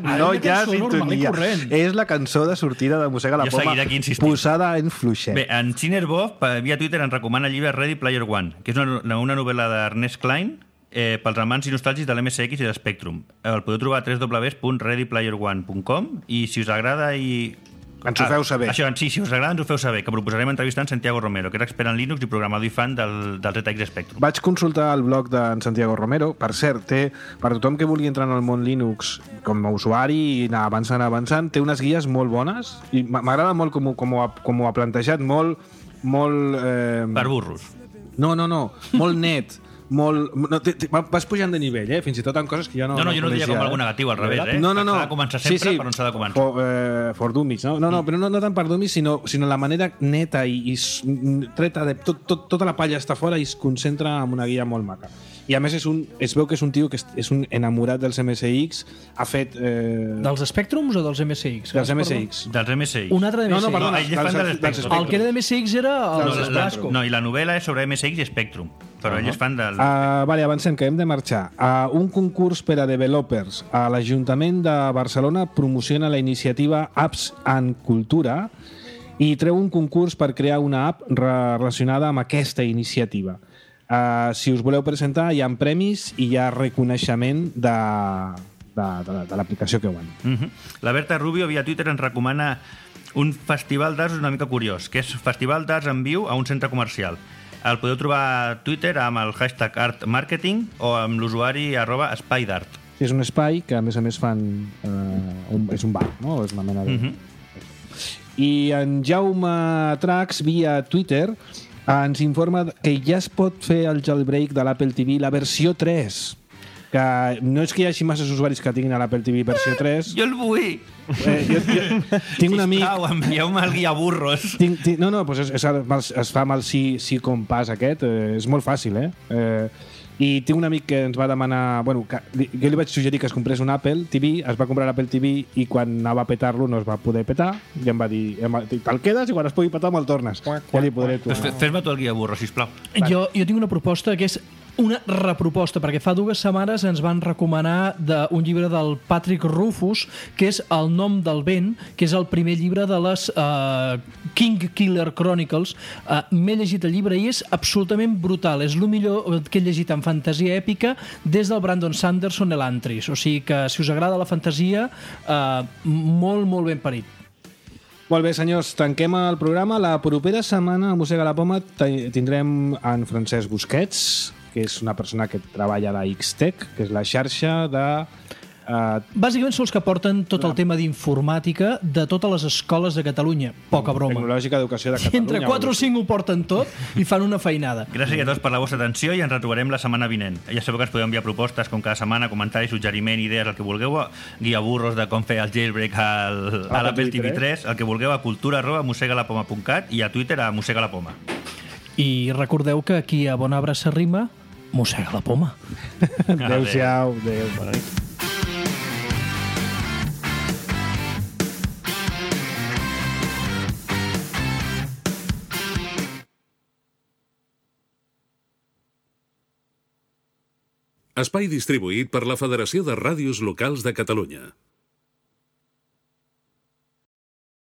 no hi ha sintonia. És la cançó de sortida de Mossega la Poma posada en fluixet. Bé, en Chinerbov, via Twitter, ens recomana el llibre Ready Player One, que és una, una novel·la d'Ernest Cline eh, pels amants i nostàlgics de l'M S X i de Spectrum. El podeu trobar a w w w punt ready player one punt com i si us agrada i... Ens ho feu saber. Ah, això, sí, si us agrada ens ho feu saber, que proposarem entrevistar en Santiago Romero, que és expert en Linux i programador i fan del, del Z X Spectrum. Vaig consultar el blog d'en Santiago Romero. Per cert, té, per tothom que vulgui entrar en el món Linux com a usuari i anar avançant, avançant, té unes guies molt bones i m'agrada molt com, com, ho ha, com ho ha plantejat, molt... molt eh... Per burros. No, no, no, molt net, molt... No, t, t, vas pujant de nivell, eh? Fins i tot en coses que jo no... No, no, jo no diria com eh? algú negatiu, al revés, eh? No, no, no. S'ha de començar sempre, sí, sí. per on s'ha de començar. For, eh, for dummies, no? No, no, però no, no tant per dummies, sinó, sinó la manera neta i, i treta de... Tot, tot, tota la palla està fora i es concentra en una guia molt maca. I a més és un, es veu que és un tio que és un enamorat dels M S X, ha fet... Eh... Dels Spectrums o dels M S X? Dels M S X. Dels M S X. Un altre de M S X. No, no, perdona, no, ell és fan dels Spectrum. El que era de M S X era el no, Blasco. No, i la novel·la és sobre M S X i Spectrum, però uh -huh. ell és fan del... Uh, vale, avancem, que hem de marxar. Uh, un concurs per a developers a l'Ajuntament de Barcelona promociona la iniciativa Apps en Cultura i treu un concurs per crear una app relacionada amb aquesta iniciativa. Uh, si us voleu presentar, hi ha premis i hi ha reconeixement de, de, de, de l'aplicació que guanya. Uh -huh. La Berta Rubio via Twitter ens recomana un festival d'arts una mica curiós, que és Festival d'Arts en Viu a un centre comercial. El podeu trobar a Twitter amb el hashtag Art Marketing o amb l'usuari arroba espai d'art. Sí, és un espai que a més a més fan... Uh, un, és un bar, no? És una mena de... Uh -huh. I en Jaume Trax via Twitter ens informa que ja es pot fer el jailbreak de l'Apple T V, la versió tres. Que no és que hi hagi massa usuaris que tinguin a l'Apple T V versió tres. Jo el vull! Eh, jo, jo, tinc un amic... Sisplau, envieu-me el guia burros. Tinc, tinc, no, no, doncs es, es, es fa amb el sí, sí compàs aquest. Eh, és molt fàcil, eh? eh I tinc un amic que ens va demanar... Bueno, que, jo li vaig suggerir que es comprés un Apple T V, es va comprar l'Apple T V i quan anava a petar-lo no es va poder petar i em va dir, te'l quedes i quan es pugui petar me'l tornes. Ja li podré pues fes-me tu el guia burro, sisplau. Jo, jo tinc una proposta que és una reproposta, perquè fa dues setmanes ens van recomanar de, un llibre del Patrick Rufus, que és El nom del vent, que és el primer llibre de les uh, King Killer Chronicles. Uh, M'he llegit el llibre i és absolutament brutal. És el millor que he llegit en fantasia èpica des del Brandon Sanderson Elantris. O sigui que, si us agrada la fantasia, uh, molt, molt ben parit. Molt bé, senyors, tanquem el programa. La propera setmana a Mossega la Poma tindrem en Francesc Busquets, que és una persona que treballa a la X-Tech, que és la xarxa de... Uh... Bàsicament són els que porten tot el tema d'informàtica de totes les escoles de Catalunya. Poca broma. Tecnològica d'Educació de Catalunya. I entre quatre o cinc ho porten tot i fan una feinada. Gràcies a tots per la vostra atenció i ens retrobarem la setmana vinent. Ja sabeu que ens podeu enviar propostes com cada setmana, comentaris, suggeriment, idees, el que vulgueu, guia burros de com fer el jailbreak al, a l'Apple T V tres, el que vulgueu a cultura arroba mossegalapoma punt cat i a Twitter a mossegalapoma. I recordeu que aquí a Bon Arbre s'arrima, mossega la poma. Adéu-siau. Adéu. Bona nit. Espai distribuït per la Federació de Ràdios Locals de Catalunya.